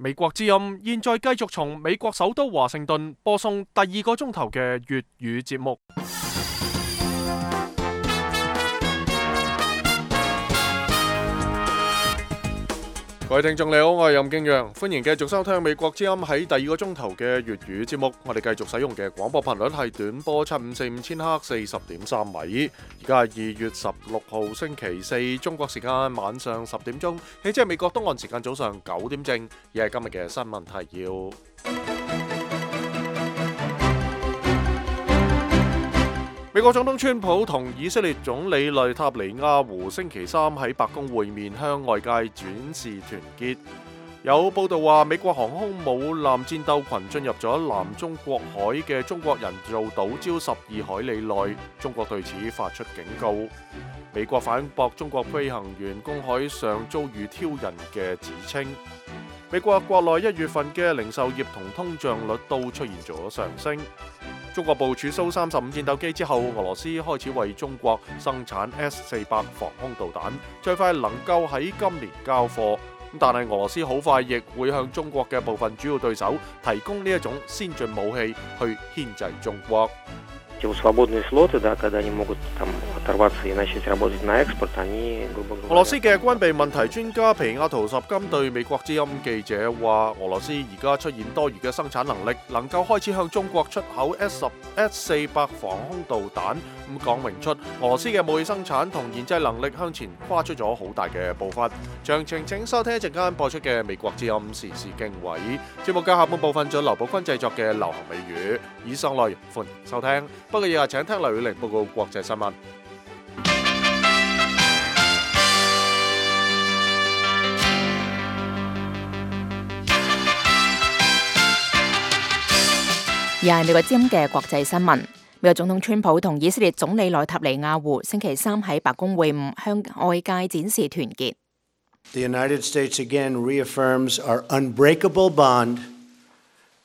美國之音現在繼續從美國首都華盛頓播送第2個鐘頭嘅粵語節目。各位聽眾你好，我係任敬陽，歡迎繼續收聽美國之音喺第2個鐘頭嘅粵語節目。我哋繼續使用嘅廣播頻率係短波7545千赫40.3米。而家係2月16號星期四，中國時間晚上10點鐘，即係美國東岸時間早上9點正。而係今日嘅新聞提要。美國總統川普同以色列總理內塔尼亞胡星期三喺白宮會面，向外界展示團結。有報道話，美國航空母艦戰鬥群進入咗南中國海嘅中國人造島礁12海里內，中國對此發出警告。美國反駁中國飛行員公海上遭遇挑釁嘅指稱。美國國內1月份嘅零售業同通脹率都出現咗上升。中國部署蘇35戰鬥機之後，俄羅斯開始為中國生產 S-400 防空導彈，最快能夠喺今年交貨。但係俄羅斯好快亦會向中國嘅部分主要對手提供呢一種先進武器去牽制中國。俄羅斯嘅軍備問題專家皮亞圖什金對美國之音記者話，俄羅斯而家出現多餘嘅生產能力，能夠開始向中國出口 S-400 防空導彈，咁講明出俄羅斯嘅武器生產同研製能力向前跨出咗好大嘅步伐。詳情請收聽一陣間播出嘅美國之音時事經緯節目嘅下半部分，仲有劉寶坤製作嘅流行美語。以上內容歡迎收聽。不過以下請聽劉宇玲報告國際新聞。而係美國之音嘅國際新聞。美國總統川普同以色列總理內塔尼亞胡星期三喺白宮會晤，向外界展示團結。The United States again reaffirms our unbreakable bond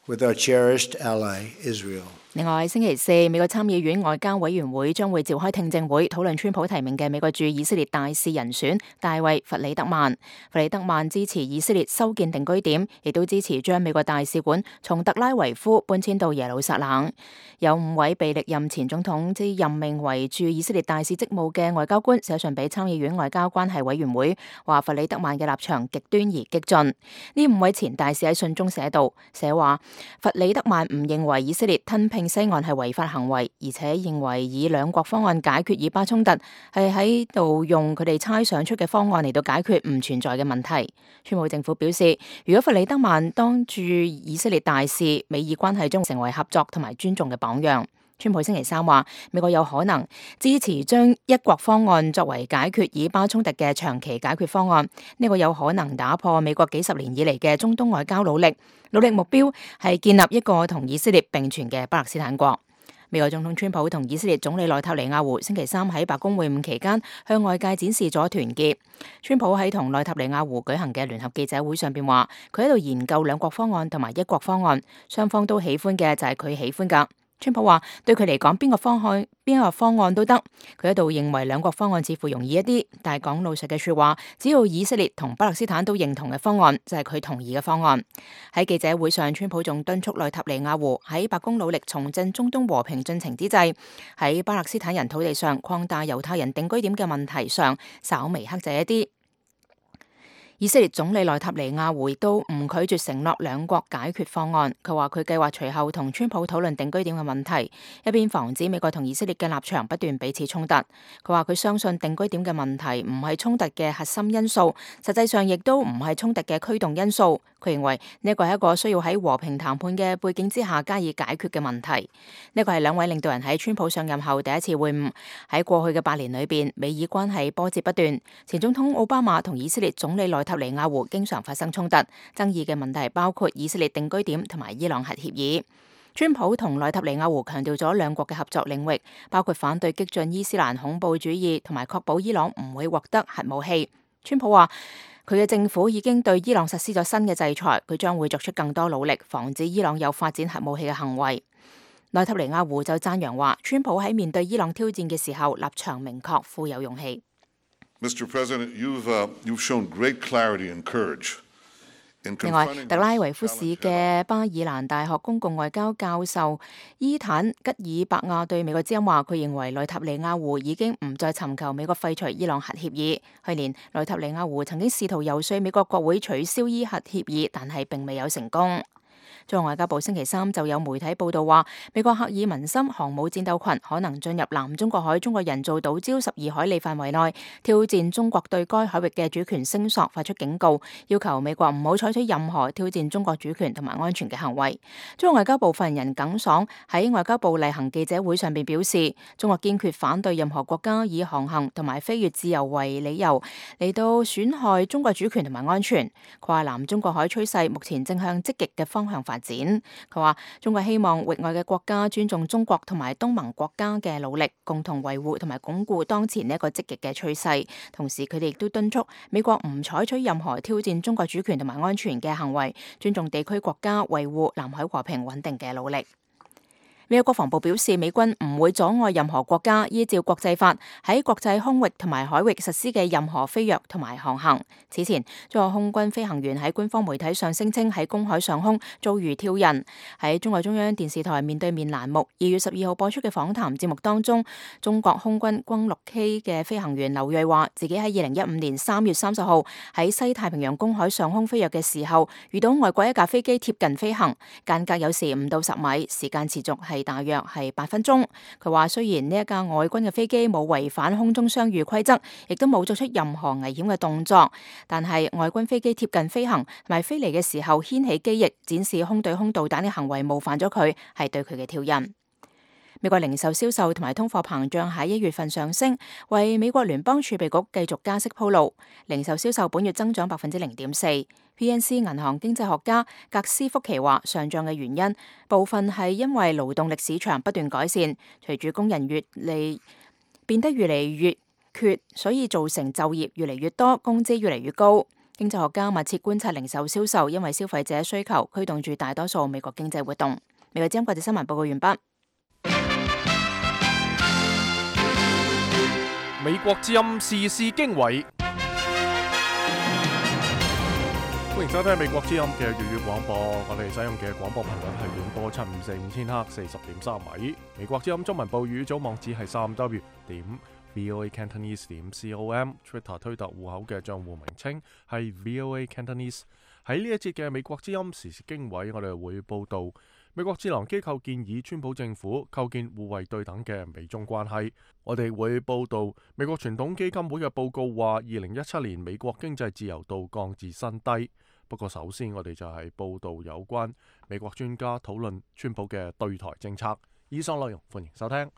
with our cherished ally, Israel. 另外，星期四，美國參議院外交委員會將會召開聽證會，討論川普提名嘅美國駐以色列大使人選大衛·弗里德曼。弗里德曼支持以色列修建定居點，亦都支持將美國大使館從特拉維夫搬遷到耶路撒冷。有5位被歷任前總統之任命為駐以色列大使職務嘅外交官寫信俾參議院外交關係委員會，話弗里德曼嘅立場極端而激進。呢5位前大使喺信中寫話，弗里德曼唔認為以色列吞併西岸係違法行為，而且認為以兩國方案解決以巴衝突係喺度用佢哋猜想出嘅方案嚟到解決唔存在嘅問題。川普政府表示，如果弗里德曼當駐以色列大使，美以關係將成為合作同埋尊重嘅榜樣。川普星期三話，美國有可能支持將一國方案作為解決以巴衝突嘅長期解決方案。呢個有可能打破美國幾十年以嚟嘅中東外交努力目標係建立一個同以色列並存嘅巴勒斯坦國。美國總統川普同以色列總理內塔尼亞胡星期三喺白宮會晤期間，向外界展示咗團結。川普喺同內塔尼亞胡舉行嘅聯合記者會上邊話，佢喺度研究兩國方案同埋一國方案，雙方都喜歡嘅就係佢喜歡噶。川普話對佢嚟講，邊個方案都得。佢喺度認為兩國方案似乎容易一啲，但係講老實嘅說話，只要以色列同巴勒斯坦都認同嘅方案，就係佢同意嘅方案。喺記者會上，川普仲敦促內塔尼亞胡喺白宮努力重振中東和平進程之際，喺巴勒斯坦人土地上擴大猶太人定居點嘅問題上稍微克制一啲。以色列總理內塔尼亞胡亦都唔拒絕承諾兩國解決方案。佢話佢計劃隨後同川普討論定居點嘅問題，一邊防止美國同以色列嘅立場不斷彼此衝突。佢話佢相信定居點嘅問題唔係衝突嘅核心因素，實際上亦都唔係衝突嘅驅動因素。佢認為呢個係一個需要喺和平談判嘅背景之下加以解決嘅問題。呢個係兩位領導人喺川普上任後第一次會晤。喺過去嘅8年裏邊，美以關係波折不斷。前總統奧巴馬同以色列總理內塔尼亞胡經常發生衝突，爭議嘅問題包括以色列定居點同埋伊朗核協議。川普同內塔尼亞胡強調咗兩國嘅合作領域，包括反對激進伊斯蘭恐怖主義同埋確保伊朗唔會獲得核武器。川普話佢嘅政府已經對伊朗實施咗新嘅制裁，佢將會作出更多努力，防止伊朗有發展核武器嘅行為。內塔尼亞胡就讚揚話，川普喺面對伊朗挑戰嘅時候立場明確，富有勇氣。Mr. President, you've shown great clarity and courage 另外，特拉維夫市嘅巴爾蘭大學公共外交教授伊坦吉爾伯亞對美國之音話，佢認為內塔尼亞胡已經唔再尋求美國廢除伊朗核協議。去年，內塔尼亞胡曾經試圖遊說美國國會取消伊核協議，但係並未有成功。中國外交部星期三就有媒體報道話，美國赫爾文森航母戰鬥群可能進入南中國海中國人造島礁12海里範圍內，挑戰中國對該海域嘅主權聲索，發出警告，要求美國唔好採取任何挑戰中國主權同埋安全嘅行為。中國外交部發言人耿爽喺外交部例行記者會上邊表示，中國堅決反對任何國家以航行同埋飛越自由為理由嚟到損害中國主權同埋安全。佢話南中國海趨勢目前正向積極嘅方向發展。佢話中國希望域外嘅國家尊重中國同埋東盟國家嘅努力，共同維護同埋鞏固當前呢一個積極嘅趨勢。同時，佢哋亦都敦促美國唔採取任何挑戰中國主權同埋安全嘅行為，尊重地區國家維護南海和平穩定嘅努力。美國國防部表示，美軍唔會阻礙任何國家依照國際法喺國際空域同埋海域實施嘅任何飛躍同埋航行。此前，中國空軍飛行員喺官方媒體上聲稱喺公海上空遭遇挑釁。喺中國中央電視台面對面欄目2月12號播出嘅訪談節目當中，中國空軍轟 6K 嘅飛行員劉銳話，自己喺2015年3月30號喺西太平洋公海上空飛躍嘅時候，遇到外國一架飛機貼近飛行，間隔有時5到10米，時間持續係大約係8分鐘。佢話雖然呢一架外軍嘅飛機冇違反空中相遇規則，亦都冇作出任何危險嘅動作，但係外軍飛機貼近飛行同埋飛嚟嘅時候掀起機翼，展示空對空導彈嘅行為冒犯咗佢，係對佢嘅挑釁。美國零售銷售同埋通貨膨脹喺1月份上升，為美國聯邦儲備局繼續加息鋪路。零售銷售本月增長0.4%。PNC 銀行經濟學家格斯福奇話，上漲嘅原因部分係因為勞動力市場不斷改善，隨住工人變得越嚟越缺，所以造成就業越嚟越多，工資越嚟越高。經濟學家密切觀察零售銷售，因為消費者需求驅動住大多數美國經濟活動。美國之音國際新聞報告完畢。美國之音時事經緯，歡迎收聽美國之音嘅粵語廣播。我哋使用嘅廣播頻率係短波754千赫40.3米。美國之音中文部語組網址係3w.voacantonese.com。Twitter 推特戶口嘅賬戶名稱係 VOA Cantonese。喺呢一節嘅美國之音時事經緯，我哋會報道美國智囊機構建議川普政府構建互惠對等嘅美中關係。我哋會報道美國傳統基金會嘅報告話，2017年美國經濟自由度降至新低。不過首先我哋就係報道有關美國專家討論川普嘅對台政策。以上內容歡迎收聽。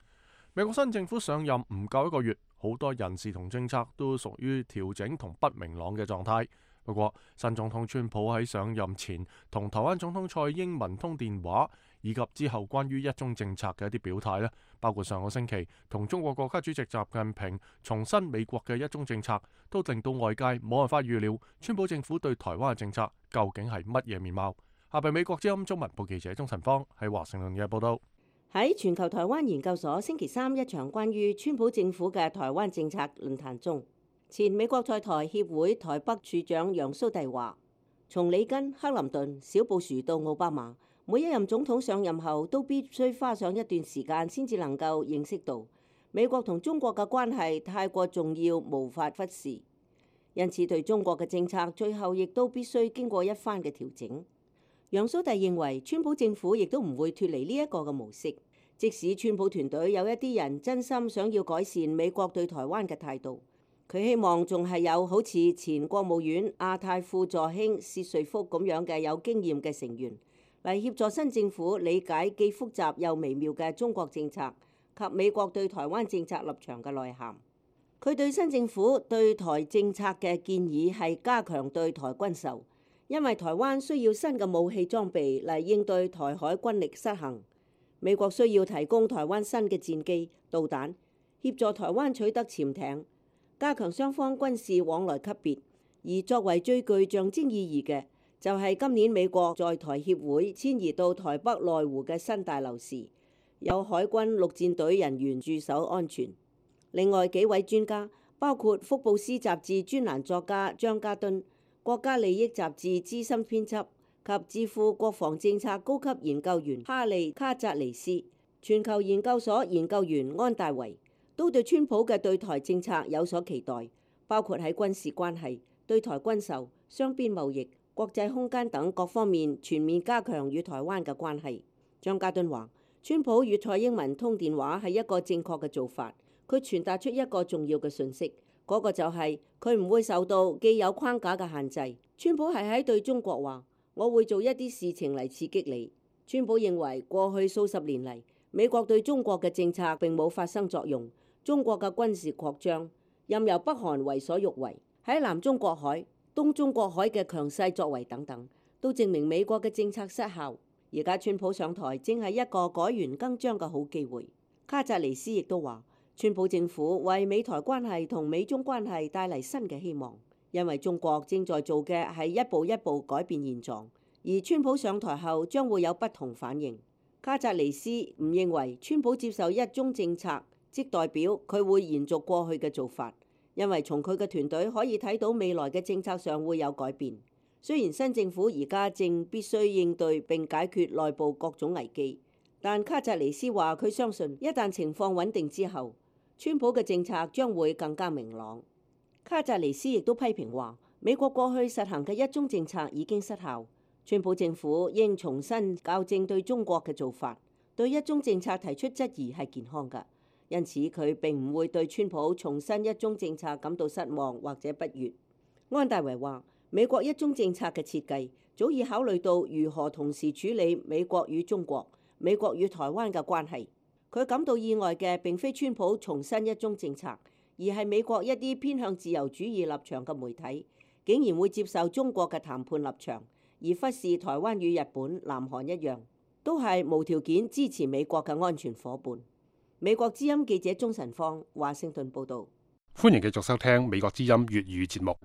美國新政府上任唔夠1個月，好多人事同政策都屬於調整同不明朗嘅狀態。不過，新總統川普喺上任前同台灣總統蔡英文通電話，以及之後關於一中政策嘅一啲表態咧，包括上個星期同中國國家主席習近平重申美國嘅一中政策，都令到外界冇辦法預料川普政府對台灣嘅政策究竟係乜嘢面貌。下邊美國之音中文部記者鍾晨芳喺華盛頓嘅報道。喺全球台灣研究所星期三一場關於川普政府嘅台灣政策論壇中，前美國在台協會台北處長楊蘇棣話，從里根、克林頓、小布殊到奧巴馬，每一任總統上任後都必須花上一段時間先至能夠認識到美國同中國嘅關係太過重要，無法忽視。因此對中國嘅政策最後亦都必須經過一番嘅調整。楊蘇棣認為川普政府亦都唔會脫離呢一個嘅模式，即使川普團隊有一啲人真心想要改善美國對台灣嘅態度，佢希望仲係有好似前國務院亞太副助卿薛瑞福咁樣嘅有經驗嘅成員嚟協助新政府理解既複雜又微妙嘅中國政策及美國對台灣政策立場嘅內涵。佢對新政府對台政策嘅建議係加強對台軍售，因為台灣需要新嘅武器裝備嚟應對台海軍力失衡。美國需要提供台灣新嘅戰機、導彈，協助台灣取得潛艇，加強雙方軍事往來級別。而作為最具象徵意義嘅，就係今年美國在台協會遷移到台北內湖嘅新大樓時，有海軍陸戰隊人員駐守安全。另外幾位專家，包括福布斯雜誌專欄作家張家敦、國家利益雜誌資深編輯及智庫國防政策高級研究員哈利卡扎尼斯、全球研究所研究員安大維都對川普嘅對台政策有所期待，包括喺軍事關係、對台軍售、雙邊貿易、國際空間等各方面全面加強與台灣嘅關係。張家敦話：川普與蔡英文通電話係一個正確嘅做法，佢傳達出一個重要嘅訊息，嗰個就係佢唔會受到既有框架嘅限制。川普係喺對中國話：我會做一啲事情嚟刺激你。川普認為過去數十年嚟，美國對中國嘅政策並冇發生作用，中國嘅軍事擴張任由北韓為所欲為，喺南中國海、東中國海嘅強勢作為等等，都證明美國嘅政策失效。而家川普上台正係一個改弦更張嘅好機會。卡扎尼斯亦都話，川普政府為美台關係同美中關係帶嚟新嘅希望，因為中國正在做嘅係一步一步改變現狀，而川普上台後將會有不同反應。卡扎尼斯唔認為川普接受一中政策即代表佢會延續過去嘅做法，因為從佢嘅團隊可以睇到未來嘅政策上會有改變。雖然新政府而家正必須應對並解決內部各種危機，但卡扎尼斯話佢相信一旦情況穩定之後，川普嘅政策將會更加明朗。卡扎尼斯亦都批評話，美國過去實行嘅一中政策已經失效，川普政府應重新校正對中國嘅做法。對一中政策提出質疑係健康㗎，因此佢並唔會對川普重申一中政策感到失望或者不悅。安大維話，美國一中政策嘅設計早已考慮到如何同時處理美國與中國、美國與台灣嘅關係。佢感到意外嘅並非川普重申一中政策，而係美國一啲偏向自由主義立場嘅媒體竟然會接受中國嘅談判立場，而忽視台灣與日本、南韓一樣，都係無條件支持美國嘅安全夥伴。美國之音記者鍾晨芳華盛頓報導。歡迎繼續收聽美國之音粵語節目。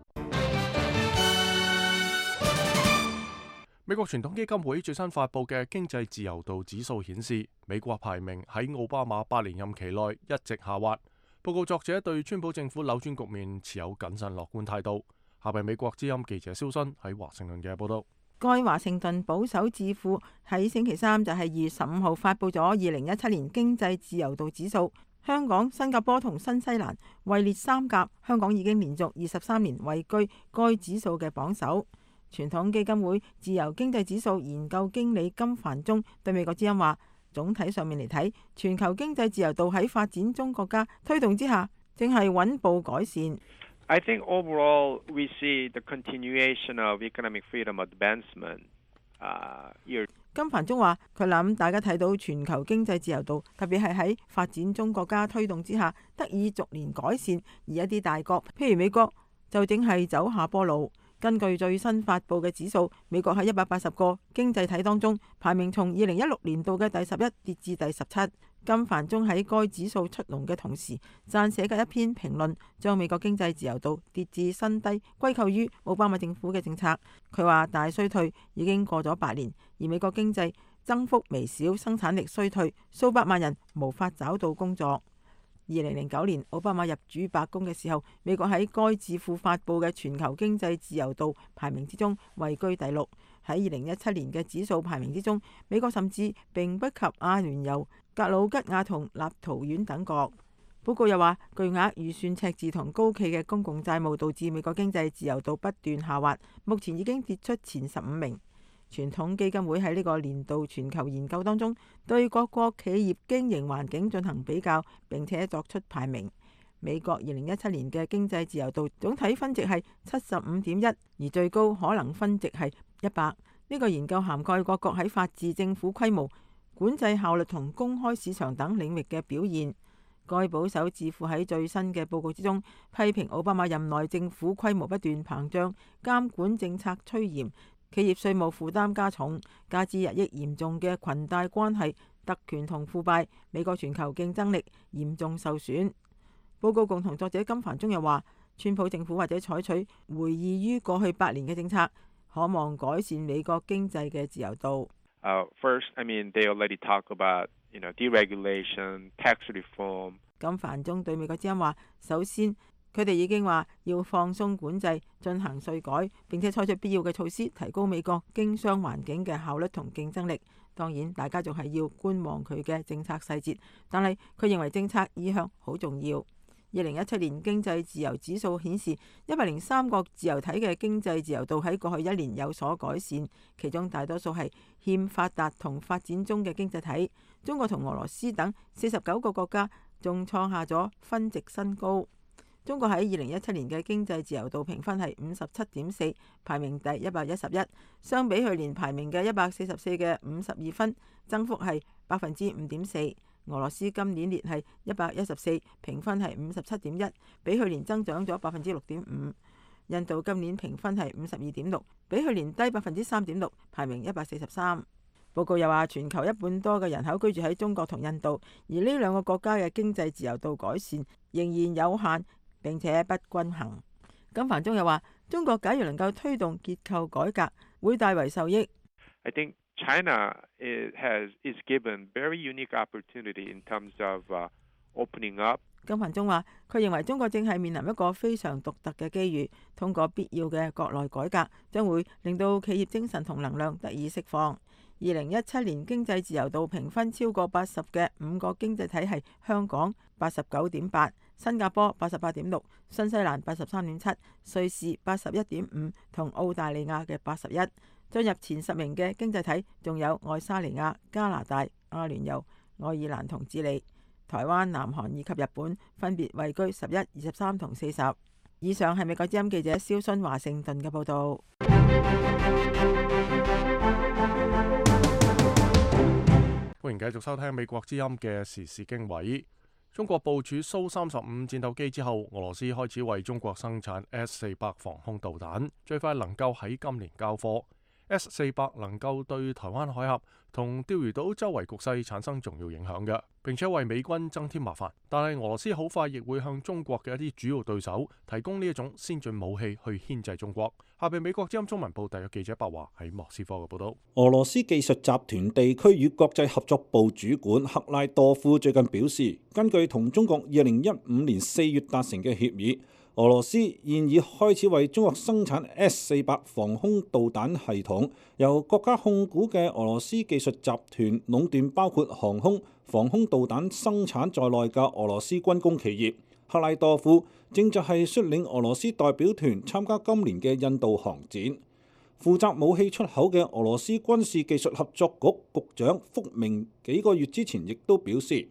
美國傳統基金會最新發布嘅經濟自由度指數顯示，美國排名喺奧巴馬8年任期內一直下滑。報告作者對川普政府扭轉局面持有謹慎樂觀態度。下邊美國之音記者蕭新喺華盛頓嘅報道。該華盛頓保守智庫喺星期三就係2月15號發布咗2017年經濟自由度指數，香港、新加坡同新西蘭位列三甲，香港已經連續23年位居該指數嘅榜首。傳統基金會自由經濟指數研究經理金凡中對美國之音話，總體上面嚟睇，全球經濟自由度喺發展中國家推動之下，正係穩步改善。I think overall we see the continuation of economic freedom advancement. 金凡中話，佢諗大家睇到全球經濟自由度，特別係喺發展中國家推動之下，得以逐年改善，而一啲大國，譬如美國，就正係走下坡路。根據最新發布嘅指數，美國喺180個經濟體當中排名從2016年度嘅第11跌至第17。金凡中喺該指數出籠嘅同時，撰寫嘅一篇評論將美國經濟自由度跌至新低歸咎於奧巴馬政府嘅政策。佢話大衰退已經過咗8年，而美國經濟增幅微小，生產力衰退，數百萬人無法找到工作。2009年奧巴馬入主白宮嘅時候，美國喺該智庫發布嘅全球經濟自由度排名之中位居第6。喺2017年嘅指數排名之中，美國甚至並不及阿聯酋、格魯吉亞同立陶宛等國。報告又話，巨額預算赤字同高企嘅公共債務導致美國經濟自由度不斷下滑，目前已經跌出前15名。傳統基金會喺呢個年度全球研究當中，對各國企業經營環境進行比較，並且作出排名。美國2017年嘅經濟自由度總體分值係75.1，而最高可能分值係100。呢個研究涵蓋各國喺法治、政府規模、管制效率同公開市場等領域嘅表現。該保守智庫喺最新嘅報告之中，批評奧巴馬任內政府規模不斷膨脹，監管政策趨嚴，企業稅務負擔加重，加之日益嚴重嘅裙帶關係、特權同腐敗，美國全球競爭力嚴重受損。報告共同作者金凡中又話，川普政府或者採取回憶於過去8年嘅政策，可望改善美國經濟嘅自由度。First, I mean, they already talk about, deregulation, tax reform. 金凡中對美國之音話，首先佢哋已經話要放鬆管制、進行稅改，並且採取必要嘅措施，提高美國經商環境嘅效率同競爭力。當然，大家仲係要觀望佢嘅政策細節，但係佢認為政策意向好重要。2017年經濟自由指數顯示，103個自由體嘅經濟自由度喺過去一年有所改善，其中大多數係欠發達同發展中嘅經濟體。中國同俄羅斯等49個國家仲創下咗分值新高。中國喺2017年嘅經濟自由度評分係57.4，排名第111，相比去年排名嘅144嘅52分，增幅係5.4%。俄羅斯今年列係114，評分係57.1，比去年增長咗6.5%。印度今年評分係52.6，比去年低3.6%，排名143。報告又話，全球1半多嘅人口居住喺中國同印度，而呢兩個國家嘅經濟自由度改善仍然有限，並且不均衡。金凡中又話，中國假如能夠推動結構改革，會大為受益。I think China is given very unique opportunity in terms of opening up. 金凡中話，佢認為中國正係面臨一個非常獨特嘅機遇，通過必要嘅國內改革，將會令到企業精神同能量得以釋放。2017年經濟自由度評分超過80嘅5個經濟體係香港89.8、新加坡88.6、新西蘭83.7、瑞士81.5同澳大利亞嘅81。進入前10名嘅經濟體仲有愛沙尼亞、加拿大、阿聯酋、愛爾蘭同智利。台灣、南韓以及日本分別位居11、23同40。以上係美國之音記者蕭순華盛頓嘅報導。歡迎繼續收聽美國之音嘅時事經緯。中國部署蘇35戰鬥機之後，俄羅斯開始為中國生產 S-400防空導彈，最快能夠喺今年交貨。S-400能夠對台灣海峽同釣魚島周圍局勢產生重要影響嘅，並且為美軍增添麻煩。但係俄羅斯好快亦會向中國嘅一啲主要對手提供呢一種先進武器去牽制中國。下邊美國之音中文部特約記者白華喺莫斯科嘅報道。俄羅斯技術集團地區與國際合作部主管克拉多夫最近表示，根據同中國2015年4月達成嘅協議，俄羅斯現已開始為中國生產 S-400防空導彈系統，由國家控股嘅俄羅斯技術集團壟斷包括航空、防空導彈生產在內嘅俄羅斯軍工企業。克拉多夫正就係率領俄羅斯代表團參加今年嘅印度航展。負責武器出口嘅俄羅斯軍事技術合作局局長福明幾個月之前亦都表示，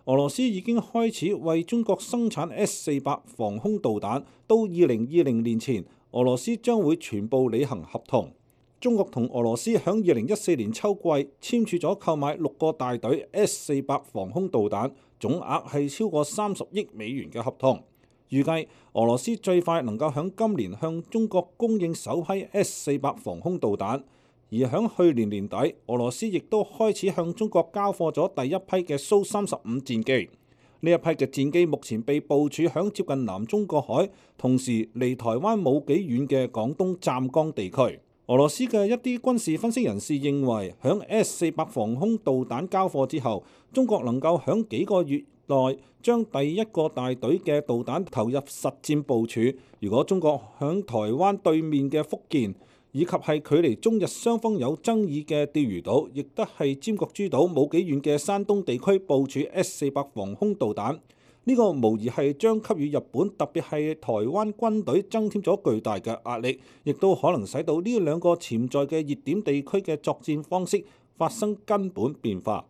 俄羅斯已經開始為中國生產 S-400防空導彈，到2020年前，俄羅斯將會全部履行合同。中國同俄羅斯響2014年秋季簽署咗購買6個大隊 S-400防空導彈，總額係超過30億美元嘅合同。預計俄羅斯最快能夠響今年向中國供應首批 S-400防空導彈。而響去年年底，俄羅斯亦都開始向中國交貨咗第一批嘅蘇35戰機。呢一批嘅戰機目前被部署響接近南中國海，同時離台灣冇幾遠嘅廣東湛江地區。俄羅斯嘅一啲軍事分析人士認為，響 S-400防空導彈交貨之後，中國能夠響幾個月內將第一個大隊嘅導彈投入實戰部署。如果中國響台灣對面嘅福建，以及係距離中日雙方有爭議嘅釣魚島，亦都係尖閣諸島冇幾遠嘅山東地區部署 S-400防空導彈，呢個無疑係將給予日本，特別係台灣軍隊增添咗巨大嘅壓力，亦都可能使到呢兩個潛在嘅熱點地區嘅作戰方式發生根本變化。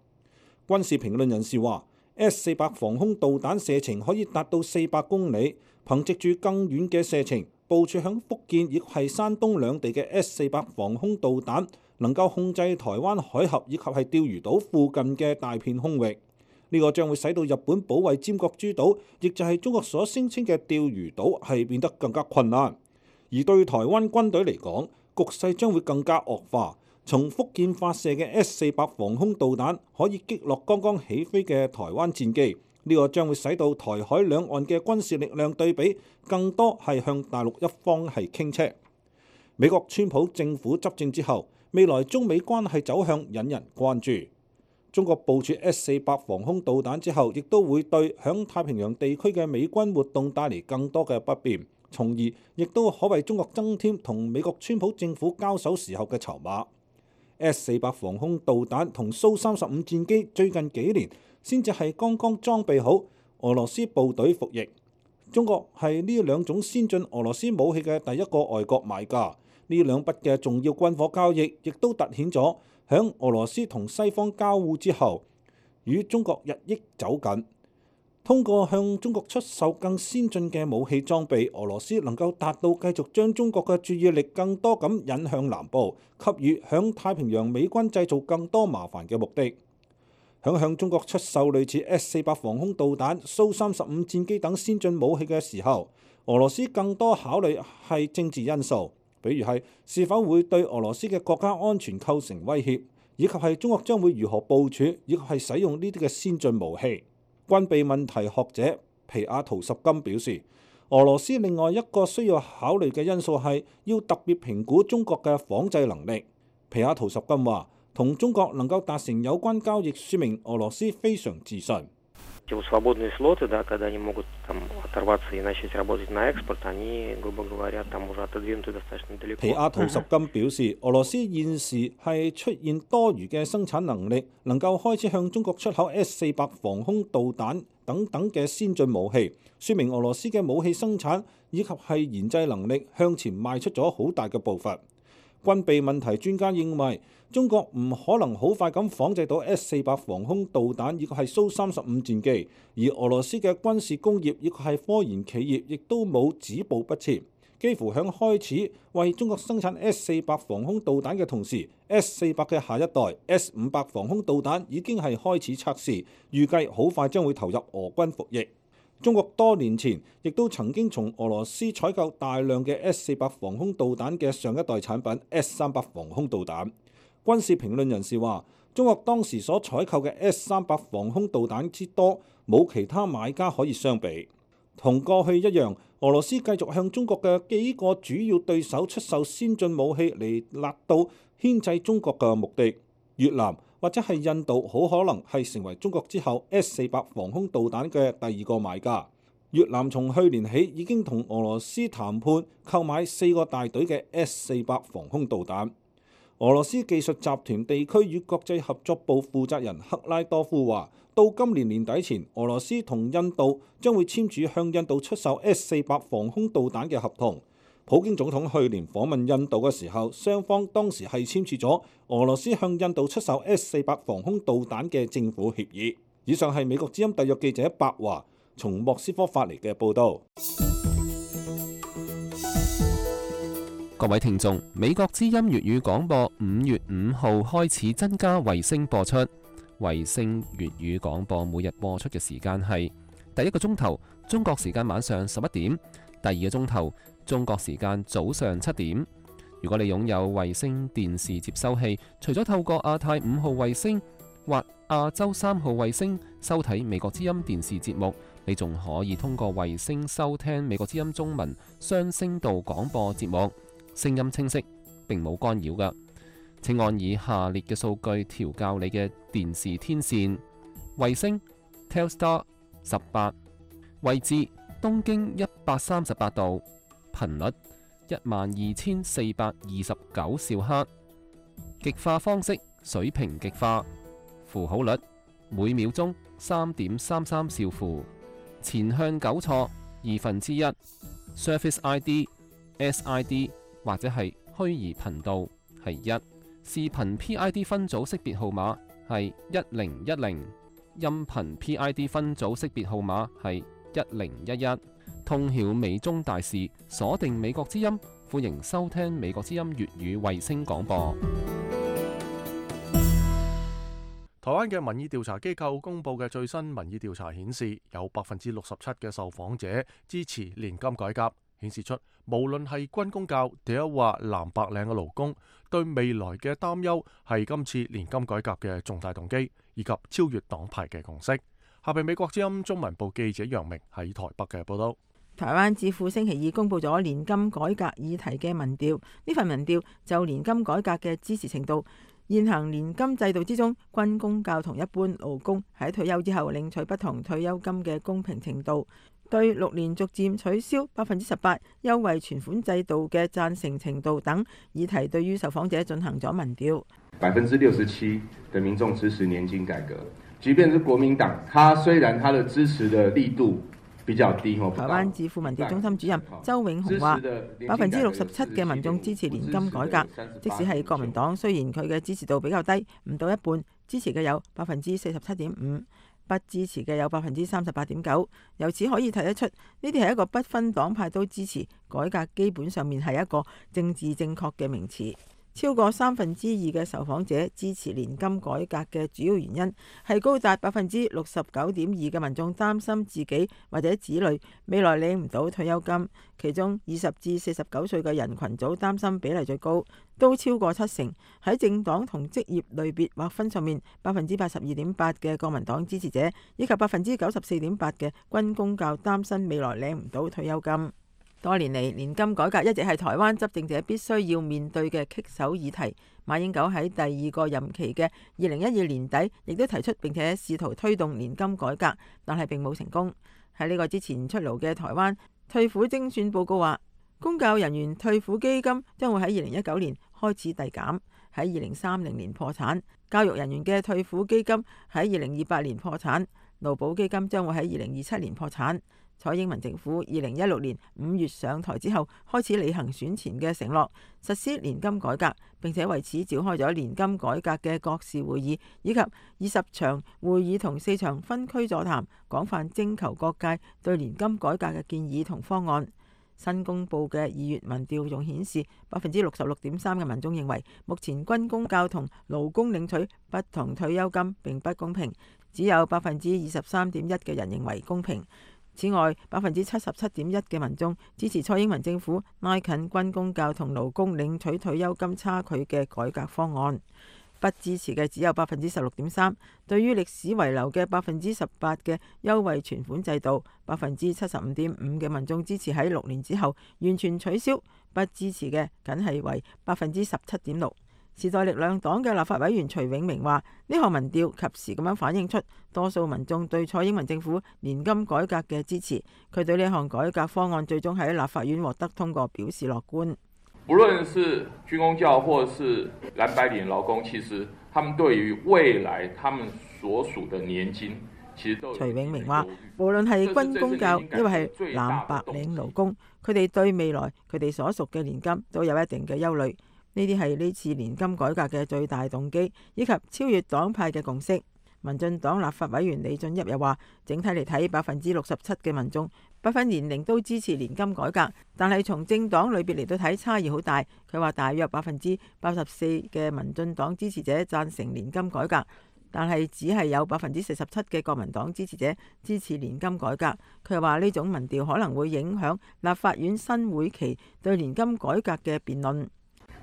軍事評論人士話，S-400防空導彈射程可以達到400公里，憑藉住更遠嘅射程，部署響福建亦係山東兩地嘅 S-400防空導彈，能夠控制台灣海峽以及係釣魚島附近嘅大片空域。呢個將會使到日本保衛尖閣諸島，亦就係中國所聲稱嘅釣魚島，係變得更加困難。而對台灣軍隊嚟講，局勢將會更加惡化。從福建發射嘅 S-400防空導彈可以擊落剛剛起飛嘅台灣戰機。呢個將會使到台海兩岸嘅軍事力量對比更多係向大陸一方係傾斜。美國川普政府執政之後，未來中美關係走向引人關注。中國部署 S-400防空導彈之後，亦都會對響太平洋地區嘅美軍活動帶嚟更多嘅不便，從而亦都可為中國增添同美國川普政府交手時候嘅籌碼。S-400防空導彈同蘇35戰機最近幾年先至係剛剛裝備好，俄羅斯部隊服役。中國係呢兩種先進俄羅斯武器嘅第一個外國買家。呢兩筆嘅重要軍火交易，亦都凸顯咗響俄羅斯同西方交互之後，與中國日益走近。通過向中國出售更先進嘅武器裝備，俄羅斯能夠達到繼續將中國嘅注意力更多咁引向南部，給予響太平洋美軍製造更多麻煩嘅目的。向中國出售類似 S-400防空導彈、蘇35戰機等先進武器嘅時候，俄羅斯更多考慮係政治因素，比如係是否會對俄羅斯嘅國家安全構成威脅，以及係中國將會如何部署，以及係使用呢啲嘅先進武器。軍備問題學者皮亞圖什金表示，俄羅斯另外一個需要考慮嘅因素係要特別評估中國嘅仿製能力。皮亞圖什金話，同中國能夠達成有關交易，說明俄羅斯非常自信。皮亞圖什金表示，俄羅斯現時係出現多餘嘅生產能力，能夠開始向中國出口 S-400防空導彈等等嘅先進武器，說明俄羅斯嘅武器生產以及係研製能力向前邁出咗好大嘅步伐。軍備問題專家認為，中國唔可能好快咁仿製到 S-400防空導彈，以及係蘇35戰機，而俄羅斯嘅軍事工業以及係科研企業亦都冇止步不前，幾乎響開始為中國生產 S-400防空導彈嘅同時，S-400嘅下一代 S-500防空導彈已經係開始測試，預計好快將會投入俄軍服役。中國多年前亦都曾經從俄羅斯採購大量嘅 S-400防空導彈嘅上一代產品 S-300防空導彈。軍事評論人士話，中國當時所採購嘅 S-300防空導彈之多，冇其他買家可以相比。同過去一樣，俄羅斯繼續向中國嘅幾個主要對手出售先進武器嚟達到牽制中國嘅目的。越南或者係印度好可能係成為中國之後 S-400防空導彈嘅第二個買家。越南從去年起已經同俄羅斯談判購買4個大隊嘅 S-400防空導彈。俄羅斯技術集團地區與國際合作部負責人克拉多夫話，到今年年底前，俄羅斯同印度將會簽署向印度出售 S-400防空導彈嘅合同。普京總統去年訪問印度嘅時候，雙方當時係簽署咗俄羅斯向印度出售 S-400防空導彈嘅政府協議。以上係美國之音特約記者白華從莫斯科發嚟嘅報導。各位聽眾，美國之音粵語廣播5月5號開始增加衛星播出。衛星粵語廣播每日播出嘅時間係第一個鐘頭中國時間晚上11點，第二個鐘頭中國時間早上7點。如果你擁有衛星電視接收器，除咗透過亞太5號衛星或亞洲3號衛星收睇美國之音電視節目，你仲可以通過衛星收聽美國之音中文雙聲道廣播節目，聲音清晰，並冇干擾㗎。請按以下列嘅數據調校你嘅電視天線：衛星 Telstar 18，位置東經138度，頻率12429兆赫，極化方式水平極化，符號率每秒鐘3.33兆符，前向糾錯1/2， Surface ID、SID 或者係虛擬頻道係1，視頻 PID 分組識別號碼係1010，音頻 PID 分組識別號碼係1011。通曉美中大事，鎖定美國之音，歡迎收聽美國之音粵語衛星廣播。台灣嘅民意調查機構公佈嘅最新民意調查顯示，有67%嘅受訪者支持年金改革，顯示出無論係軍公教定係話藍白領嘅勞工，對未來嘅擔憂係今次年金改革嘅重大動機，以及超越黨派嘅共識。下邊美國之音中文部記者楊明喺台北嘅報道。台灣智庫星期二公佈咗年金改革議題嘅民調，呢份民調就年金改革嘅支持程度現行年金制度之中，軍公教同一般勞工喺退休之後領取不同退休金嘅公平程度，對6年逐漸取消18%優惠存款制度嘅贊成程度等議題，對於受訪者進行咗民調。67%的民眾支持年金改革，即便是國民黨，他雖然他的支持的力度比較低。台灣智庫民調中心主任周永雄話，67%嘅民眾支持年金改革，即使係國民黨，雖然佢嘅支持度比較低，唔到一半，支持嘅有47.5%，不支持嘅有38.9%。由此可以睇得出，呢啲係一個不分黨派都支持改革，基本上面係一個政治正確嘅名詞。超過2/3嘅受訪者支持年金改革嘅主要原因係高達69.2%嘅民眾擔心自己或者子女未來領唔到退休金，其中20至49歲嘅人群組擔心比例最高，都超過70%。喺政黨同職業類別劃分上面，82.8%嘅國民黨支持者以及94.8%嘅軍公教擔心未來領唔到退休金。多年嚟，年金改革一直係台灣執政者必須要面對嘅棘手議題。馬英九喺第2個任期嘅2012年底，亦都提出並且試圖推動年金改革，但係並冇成功。喺呢個之前出爐嘅台灣退撫精算報告話，公教人員退撫基金將會喺2019年開始遞減，喺2030年破產；教育人員嘅退撫基金喺2028年破產；勞保基金將會喺2027年破產。蔡英文政府2016年5月上台之後，開始履行選前嘅承諾，實施年金改革，並且為此召開咗年金改革嘅國事會議，以及20場會議同4場分區座談，廣泛徵求各界對年金改革嘅建議同方案。新公布嘅2月民調仲顯示，66.3%嘅民眾認為目前軍公教同勞工領取不同退休金並不公平，只有23.1%嘅人認為公平。此外，77.1%嘅民眾支持蔡英文政府拉近軍公教同勞工領取退休金差距嘅改革方案，不支持嘅只有16.3%。對於歷史遺留嘅18%嘅優惠存款制度，75.5%嘅民眾支持喺6年之後完全取消，不支持嘅僅係為17.6%。時代力量黨嘅立法委員徐永明話：呢項民調及時咁樣反映出多數民眾對蔡英文政府年金改革嘅支持。佢對呢項改革方案最終喺立法院獲得通過表示樂觀。無論是軍公教或是藍白領勞工，其實他們對於未來他們所屬的年金，其實都徐永明話：無論係軍公教，因為係藍白領勞工，佢哋對未來佢哋所屬嘅年金都有一定嘅憂慮。呢啲係呢次年金改革嘅最大動機，以及超越黨派嘅共識。民進黨立法委員李俊逸又話，整體嚟睇，67%嘅民眾不分年齡都支持年金改革，但係從政黨裏邊嚟到睇，差異好大。佢話大約84%嘅民進黨支持者贊成年金改革，但係只係有47%嘅國民黨支持者支持年金改革。佢話呢種民調可能會影響立法院新會期對年金改革嘅辯論。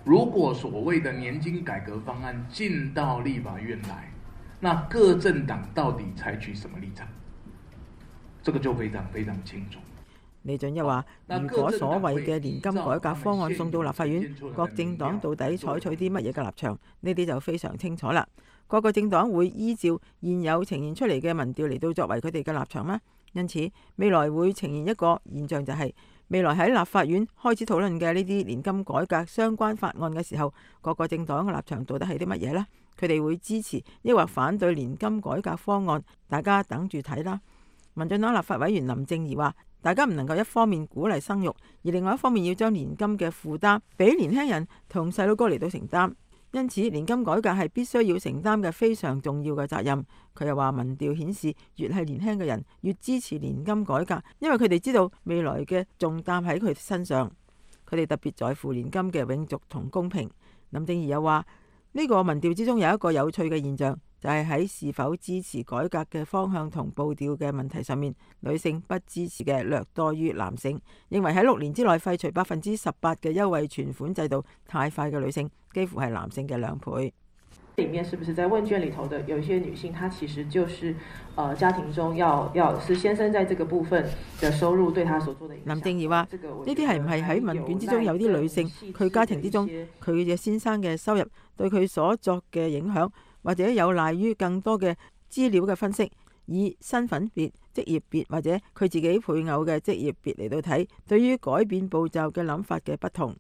如果所謂的年金改革方案進到立法院來，那各政黨到底採取什麼立場？這個就非常非常清楚。李俊一話：如果所謂嘅年金改革方案送到立法院，各政黨到底採取啲乜嘢嘅立場？呢啲就非常清楚啦。各個政黨會依照現有呈現出嚟嘅民調嚟到作為佢哋嘅立場嗎？因此，未來會呈現一個現象，就係未來喺立法院開始討論嘅呢啲年金改革相關法案嘅時候，各個政黨嘅立場到底係啲乜嘢呢？佢哋會支持抑或反對年金改革方案？大家等住睇啦。民進黨立法委員林正儀話：大家唔能夠一方面鼓勵生育，而另外一方面要將年金嘅負擔俾年輕人同細佬哥嚟到承擔。因此，年金改革係必須要承擔嘅非常重要嘅責任。佢又話，民調顯示越係年輕嘅人越支持年金改革，因為佢哋知道未來嘅重擔喺佢哋身上，佢哋特別在乎年金嘅永續同公平。林正儀又話，呢個民調之中有一個有趣嘅現象，就係喺是否支持改革嘅方向同步調嘅問題上面，女性不支持嘅略多於男性。認為喺6年之內廢除18%嘅優惠存款制度太快嘅女性，幾乎係男性嘅2倍。裡面是不是在問卷裡頭的有一些女性，她其實就是家庭中要是先生在這個部分的收入對她所做的影響。林正義話：呢啲係唔係喺問卷之中有啲女性佢家庭之中佢嘅先生嘅收入對佢所作嘅影響，或者有賴於更多嘅資料嘅分析，以身份別、職業別或者佢自己配偶嘅職業別嚟到睇，對於改變步驟嘅諗法嘅不同。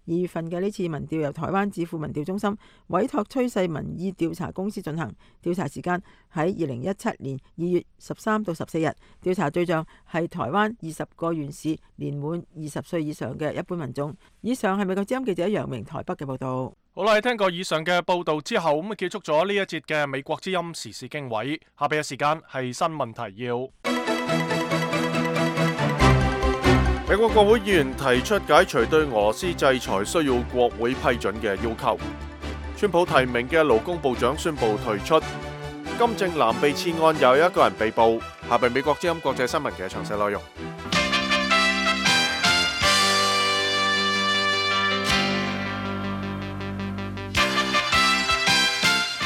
2月份嘅呢次民調由台灣智庫民調中心委託趨勢民意調查公司進行，調查時間喺2017年2月13到14日，調查對象係台灣20個縣市年滿20歲以上嘅一般民眾。以上係美國之音記者楊明台北嘅報道。好啦，聽過以上嘅報道之後，咁結束咗呢一節嘅美國之音時事經緯。下邊嘅時間係新聞提要。美國國會議員提出解除對俄羅斯制裁需要國會批准嘅要求。川普提名嘅勞工部長宣布退出。金正男被刺案又有一個人被捕。下邊美國之音國際新聞嘅詳細內容。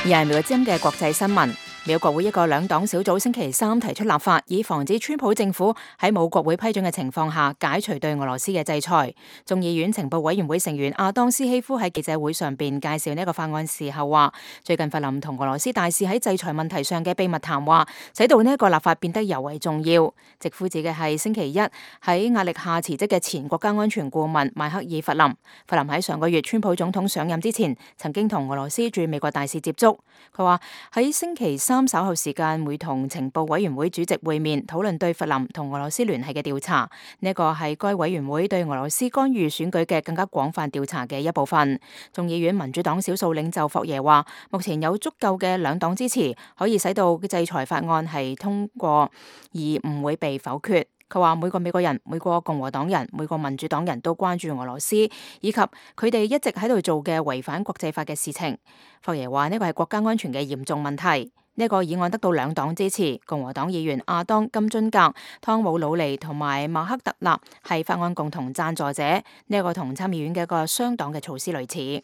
而係美國之音嘅國際新聞。美國國會一個兩黨小組星期三提出立法，以防止川普政府喺冇國會批准嘅情況下解除對俄羅斯嘅制裁。眾議院情報委員會成員阿當斯希夫喺記者會上邊介紹呢個法案時候話，最近弗林同俄羅斯大使喺制裁問題上嘅秘密談話，使到呢一個立法變得尤為重要。直呼指嘅係星期一喺壓力下辭職嘅前國家安全顧問邁克爾弗林。弗林喺上個月川普總統上任之前，曾經同俄羅斯駐美國大使接觸。佢話喺星期三稍後時間會同情報委員會主席會面，討論對弗林同俄羅斯聯繫嘅調查。呢一個係該委員會對俄羅斯干預選舉嘅更加廣泛調查嘅一部分。眾議院民主黨少數領袖霍耶話，目前有足夠嘅兩黨支持，可以使到制裁法案係通過，而唔會被否決。佢話每個美國人、每個共和黨人、每個民主黨人都關注俄羅斯，以及佢哋一直喺度做嘅違反國際法嘅事情。霍耶話呢個係國家安全嘅嚴重問題。呢個議案得到兩黨支持，共和黨議員亞當金津格、湯姆魯尼同埋馬克特納係法案共同贊助者。呢個同參議院嘅一個雙黨嘅措施類似。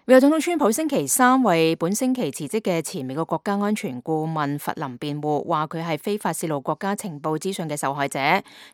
美國總統川普星期三為本星期辭職嘅前美國國家安全顧問弗林辯護，話佢係非法泄露國家情報資訊嘅受害者。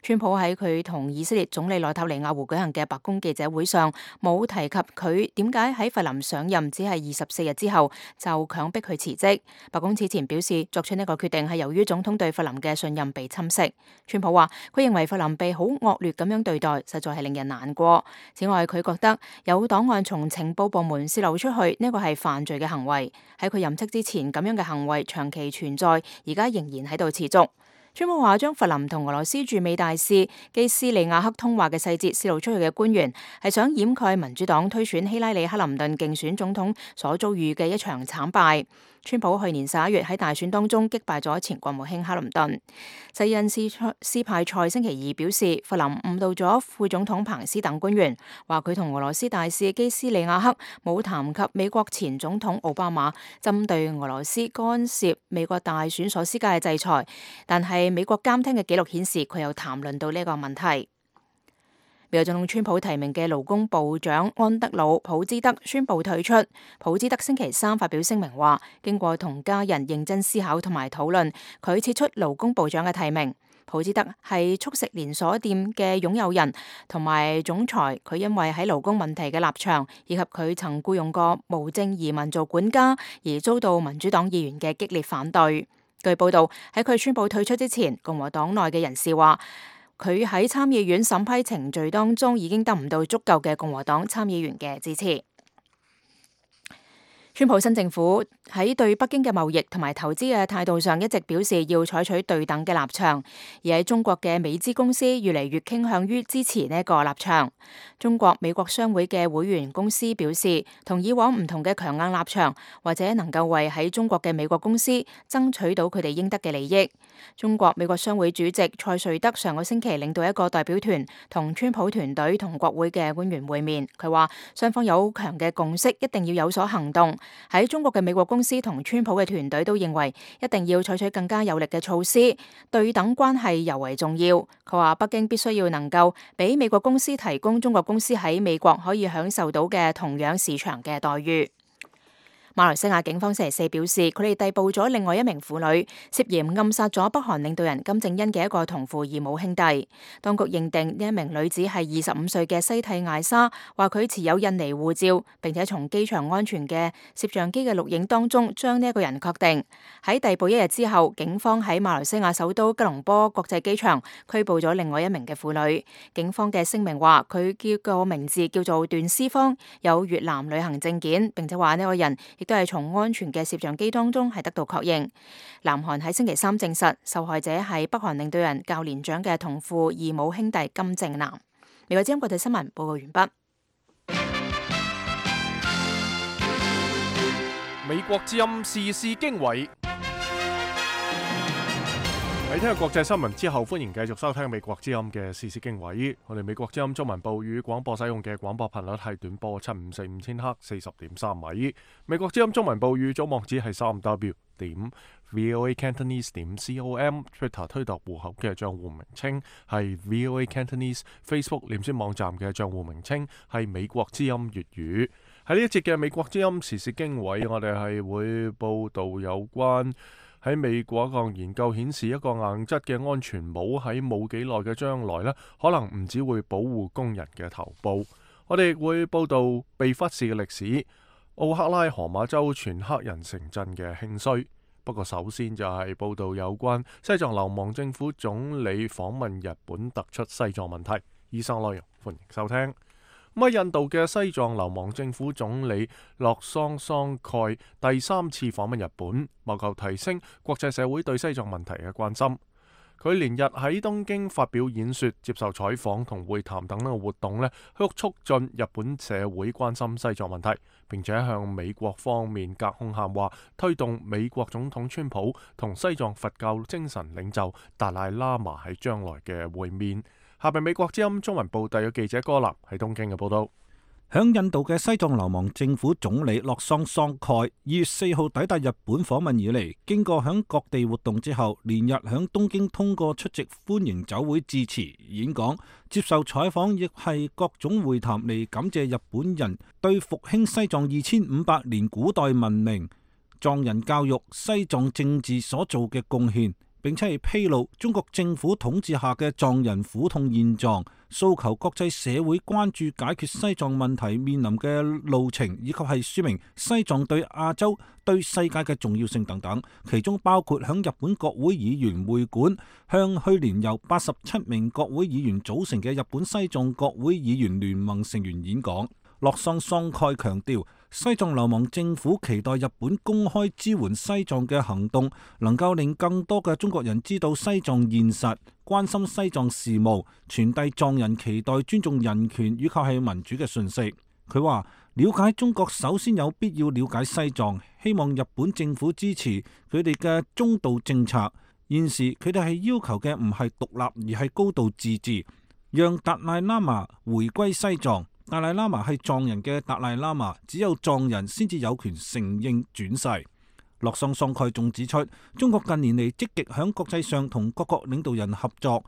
川普喺佢同以色列總理內塔尼亞胡舉行嘅白宮記者會上，冇提及佢點解喺弗林上任只係24日之後就強迫佢辭職。白宮此前表示，作出呢個決定係由於總統對弗林嘅信任被侵蝕。川普話佢認為弗林被好惡劣咁樣對待，實在係令人難過。此外，佢覺得有檔案從情報部門流出去，呢個係犯罪嘅行為。喺佢任職之前，咁樣嘅行為長期存在，而家仍然喺度持續。川普話將弗林同俄羅斯駐美大使基斯利亞克通話嘅細節泄露出去嘅官員，係想掩蓋民主黨推選希拉里克林頓競選總統所遭遇嘅一場慘敗。川普去年11月喺大選當中擊敗咗前國務卿克林頓。西恩斯派塞星期二表示，弗林誤導咗副總統彭斯等官員，話佢同俄羅斯大使基斯利亞克冇談及美國前總統奧巴馬針對俄羅斯干涉美國大選所施加嘅制裁，但係美國監聽嘅記錄顯示佢有談論到呢個問題。美國總統川普提名嘅勞工部長安德魯普茲德宣布退出。普茲德星期三發表聲明話，經過同家人認真思考同埋討論，佢撤出勞工部長嘅提名。普茲德係速食連鎖店嘅擁有人同埋總裁，佢因為喺勞工問題嘅立場，以及佢曾僱傭過無證移民做管家，而遭到民主黨議員嘅激烈反對。據報道，喺佢宣布退出之前，共和黨內嘅人士話，佢喺參議院審批程序當中已經得唔到足夠嘅共和黨參議員嘅支持。川普新政府喺對北京嘅貿易同埋投資嘅態度上一直表示要採取對等嘅立場，而喺中國嘅美資公司越嚟越傾向於支持呢一個立場。中國美國商會嘅會員公司表示，同以往唔同嘅強硬立場，或者能夠為喺中國嘅美國公司爭取到佢哋應得嘅利益。中國美國商會主席蔡瑞德上個星期領導一個代表團同川普團隊同國會嘅官員會面，佢話雙方有強嘅共識，一定要有所行動。喺中國嘅美國公司同川普嘅團隊都認為一定要採取更加有力嘅措施，對等關係尤為重要。佢話北京必須要能夠俾美國公司提供中國公司喺美國可以享受到嘅同樣市場嘅待遇。馬來西亞警方星期四表示，佢哋逮捕咗另外一名婦女，涉嫌暗殺咗北韓領導人金正恩嘅一個同父異母兄弟。當局認定呢一名女子係25歲嘅西蒂艾莎，話佢持有印尼護照，並且從機場安全嘅攝像機嘅錄影當中將呢一個人確定。喺逮捕一日之後，警方喺馬來西亞首都吉隆坡國際機場拘捕咗另外一名嘅婦女。警方嘅聲明話，佢個名字叫做段思芳，有越南旅行證件，並且話呢個人亦都係從安全嘅攝像機當中係得到確認。南韓喺星期三證實，受害者係北韓領導人較年長嘅同父異母兄弟金正男。美國之音國際新聞報告完畢。美國之音時事經緯。喺聽日國際新聞之後，歡迎繼續收聽美國之音嘅時事經緯。我哋美國之音中文部與廣播使用嘅廣播頻率係短波7545千赫40.3米。美國之音中文部與總網址係3w.voacantonese.com。Twitter 推特戶口嘅賬戶名稱係 VOA Cantonese。Facebook 臉書網站嘅賬戶名稱係美國之音粵語。喺呢一節嘅美國之音時事經緯，我哋係會報道有關喺美國一項研究顯示，一個硬質嘅安全帽喺冇幾耐嘅將來呢，可能唔只會保護工人嘅頭部。我哋亦會報道被忽視嘅歷史，奧克拉荷馬州全黑人城鎮嘅興衰。不過首先就係報道有關西藏流亡政府總理訪問日本突出西藏問題。以上內容歡迎收聽。咁喺印度嘅西藏流亡政府總理洛桑桑蓋第3次訪問日本，謀求提升國際社會對西藏問題嘅關心。佢連日喺東京發表演說、接受採訪同會談等嘅活動呢，去促進日本社會關心西藏問題，並且向美國方面隔空喊話，推動美國總統川普同西藏佛教精神領袖達賴喇嘛喺將來嘅會面。下邊美國之音中文部特約記者柯南喺東京嘅報道。響印度嘅西藏流亡政府總理洛桑桑蓋2月4號抵達日本訪問以嚟，經過響各地活動之後，連日響東京通過出席歡迎酒會致辭、演講、接受採訪，亦係各種會談嚟感謝日本人對復興西藏2500年古代文明、藏人教育、西藏政治所做嘅貢獻，並且係披露中國政府統治下嘅藏人苦痛現狀，訴求國際社會關注解決西藏問題面臨嘅路程，以及係說明西藏對亞洲、對世界嘅重要性等等。其中包括響日本國會議員會館向去年由87名國會議員組成嘅日本西藏國會議員聯盟成員演講。洛桑桑蓋強調，西藏流亡政府期待日本公開支援西藏嘅行動，能夠令更多嘅中國人知道西藏現實，關心西藏事務，傳遞藏人期待尊重人權以及係民主嘅訊息。佢話，了解中國首先有必要了解西藏，希望日本政府支持佢哋嘅中道政策。現時佢哋係要求嘅唔係獨立，而係高度自治，讓達賴喇嘛回歸西藏。達賴喇嘛係藏人嘅達賴喇嘛，只有藏人先至有權承認轉世。洛桑桑蓋仲指出，中國近年嚟積極響國際上同各國領導人合作，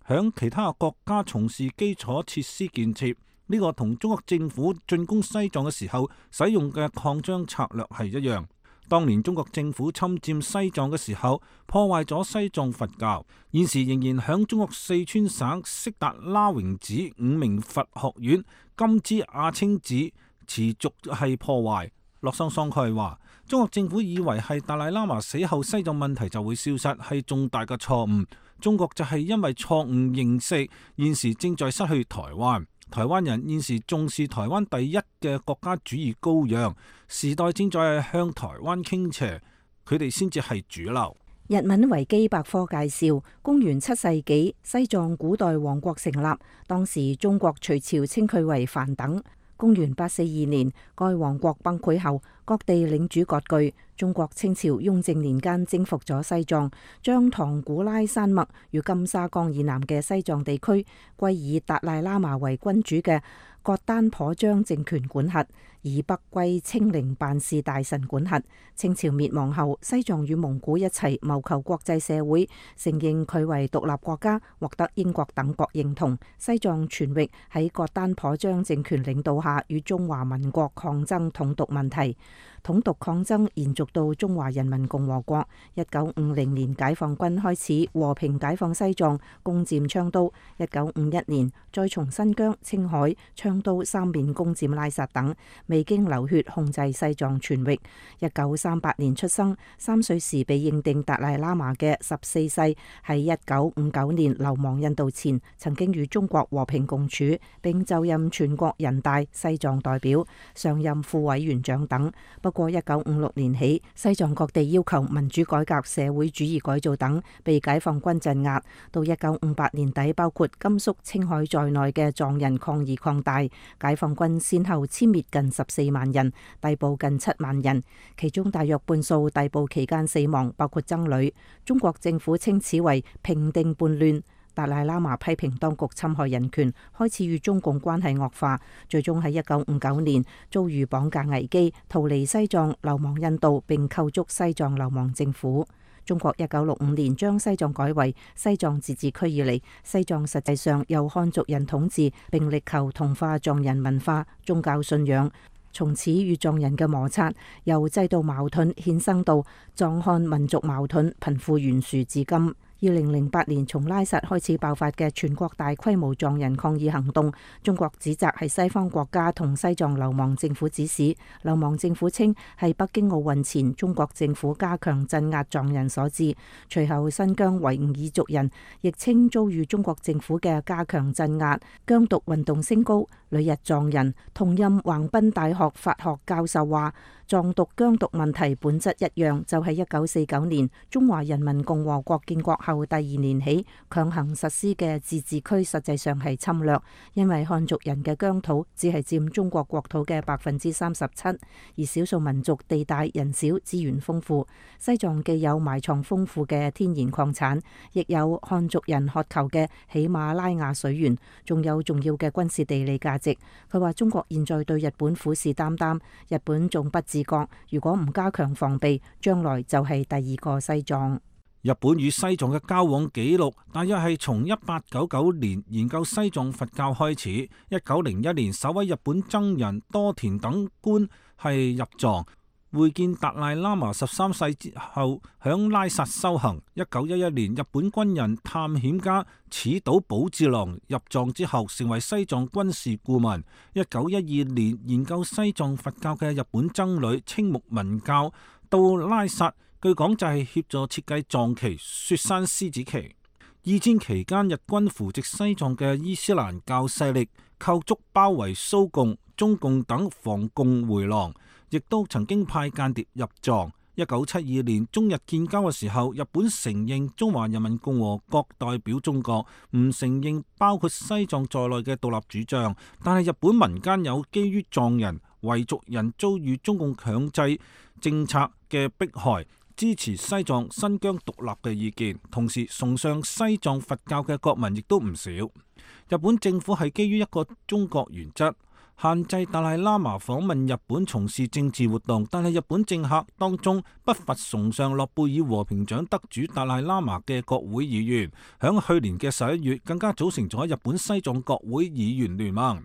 響其他國家從事基礎設施建設，呢個同中國政府進攻西藏嘅時候使用嘅擴張策略係一樣。當年中國政府侵佔西藏嘅時候，破壞咗西藏佛教，現時仍然響中國四川省色達拉榮寺5名佛學院金枝亞青寺持續係破壞。洛桑桑蓋話，中國政府以為係達賴喇嘛死後西藏問題就會消失，係重大嘅錯誤。中國就係因為錯誤認識，現時正在失去台灣。台灣人現時重視台灣第一嘅國家主義羔羊，時代正在向台灣傾斜，佢哋先至係主流。日文維基百科介紹，公元7世紀西藏古代王國成立，當時中國隋朝稱佢為梵等。公元842年，該王國崩潰後，各地領主割據，中國清朝雍正年間征服咗西藏，將唐古拉山脈與金沙江以南嘅西藏地區歸以達賴喇嘛為君主嘅覺丹頗章政權管轄，以北歸清寧辦事大臣管轄。清朝滅亡後，西藏與蒙古一齊謀求國際社會承認佢為獨立國家，獲得英國等國認同。西藏全域喺覺丹頗章政權領導下與中華民國抗爭統獨問題。統獨抗爭延續到中華人民共和國。1950年解放軍開始和平解放西藏，攻佔昌都。1951年再從新疆、青海、昌都三面攻佔拉薩等，未經流血控制西藏全域。1938年出生，3歲時被認定達賴喇嘛嘅14世，喺1959年流亡印度前，曾經與中國和平共處，並就任全國人大西藏代表，上任副委員長等。不過1956年起，西藏各地要求民主改革、社會主義改造等，被解放軍鎮壓。到1958年底，包括甘肅、青海在內嘅藏人抗議擴大，解放軍先後殲滅近14萬人，逮捕近7萬人，其中大約半數逮捕期間死亡，包括僧侶。中國政府稱此為平定叛亂。達賴喇嘛批評當局侵害人權，開始與中共關係惡化，最終喺1959年遭遇綁架危機，逃離西藏，流亡印度，並構築西藏流亡政府。中國1965年將西藏改為西藏自治區以嚟，西藏實際上由漢族人統治，並力求同化藏人文化、宗教信仰。從此與藏人嘅摩擦由制度矛盾衍生到藏漢民族矛盾，貧富懸殊至今。2008年從拉薩開始爆發嘅全國大規模藏人抗議行動，中國指責係西方國家同西藏流亡政府指使。流亡政府稱係北京奧運前中國政府加強鎮壓藏人所致。隨後新疆維吾爾族人亦稱遭遇中國政府嘅加強鎮壓。疆獨運動升高，旅日藏人同任橫濱大學法學教授話，藏獨疆獨問題本質一樣，就係1949年中華人民共和國建國後第2年起強行實施嘅自治區，實際上係侵略，因為漢族人嘅疆土只係佔中國國土嘅37%，而少數民族地大人少，資源豐富。西藏既有埋藏豐富嘅天然礦產，亦有漢族人渴求嘅喜馬拉雅水源，仲有重要嘅軍事地理價值。佢話中國現在對日本虎視眈眈，日本仲不自覺，如果唔加強防備，將來就係第2個西藏。日本與西藏嘅交往記錄大約係從1899年研究西藏佛教開始。1901年首位日本僧人多田等官係入藏，會見達賴喇嘛13世之後響拉薩修行。1911年日本軍人探險家矢島保治郎入藏之後成為西藏軍事顧問。1912年研究西藏佛教嘅日本僧侶青木文教到拉薩，據講就係協助設計藏旗雪山獅子旗。二戰期間，日軍扶植西藏嘅伊斯蘭教勢力，構築包圍蘇共、中共等防共回廊，亦都曾經派間諜入藏。1972年中日建交嘅時候，日本承認中華人民共和國代表中國，唔承認包括西藏在內嘅獨立主張。但係日本民間有基於藏人、維族人遭遇中共強制政策嘅迫害，支持西藏、新疆獨立嘅意見，同時崇尚西藏佛教嘅國民亦都唔少。日本政府係基於一個中國原則，限制達賴喇嘛訪問日本從事政治活動，但係日本政客當中不乏崇尚諾貝爾和平獎得主達賴喇嘛嘅國會議員，響去年嘅11月更加組成咗日本西藏國會議員聯盟。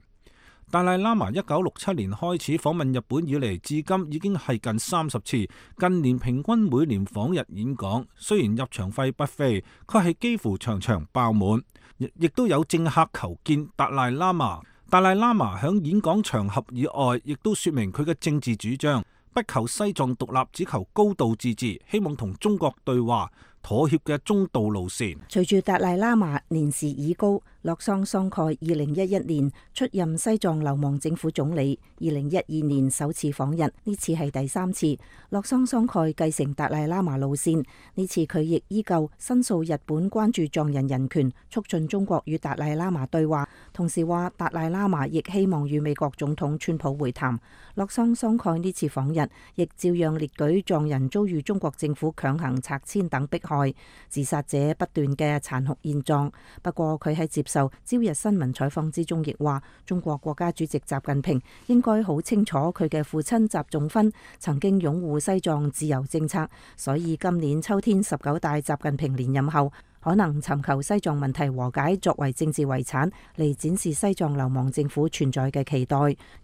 達賴喇嘛1967年開始訪問日本以嚟，至今已經係近30次，近年平均每年訪日演講。雖然入場費不菲，佢係幾乎場場爆滿，亦都有政客求見達賴喇嘛。達賴喇嘛響演講場合以外，亦都說明佢嘅政治主張，不求西藏獨立，只求高度自治，希望同中國對話，妥協嘅中道路線。隨住達賴喇嘛年事已高，洛桑桑蓋2011年出任西藏流亡政府總理，2012年首次訪日，呢次係第3次。洛桑桑蓋繼承達賴喇嘛路線，呢次佢亦依舊申訴日本關注藏人人權，促進中國與達賴喇嘛對話，同時話達賴喇嘛亦希望與美國總統川普會談。洛桑桑蓋呢次訪日，亦照樣列舉藏人遭遇中國政府強行拆遷等迫害、自殺者不斷嘅殘酷現狀。不過佢喺接受朝日新聞採訪之中，亦話中國國家主席習近平應該好清楚佢嘅父親習仲勳曾經擁護西藏自由政策，所以今年秋天19大習近平連任後，可能尋求西藏問題和解作為政治遺產嚟展示西藏流亡政府存在嘅期待。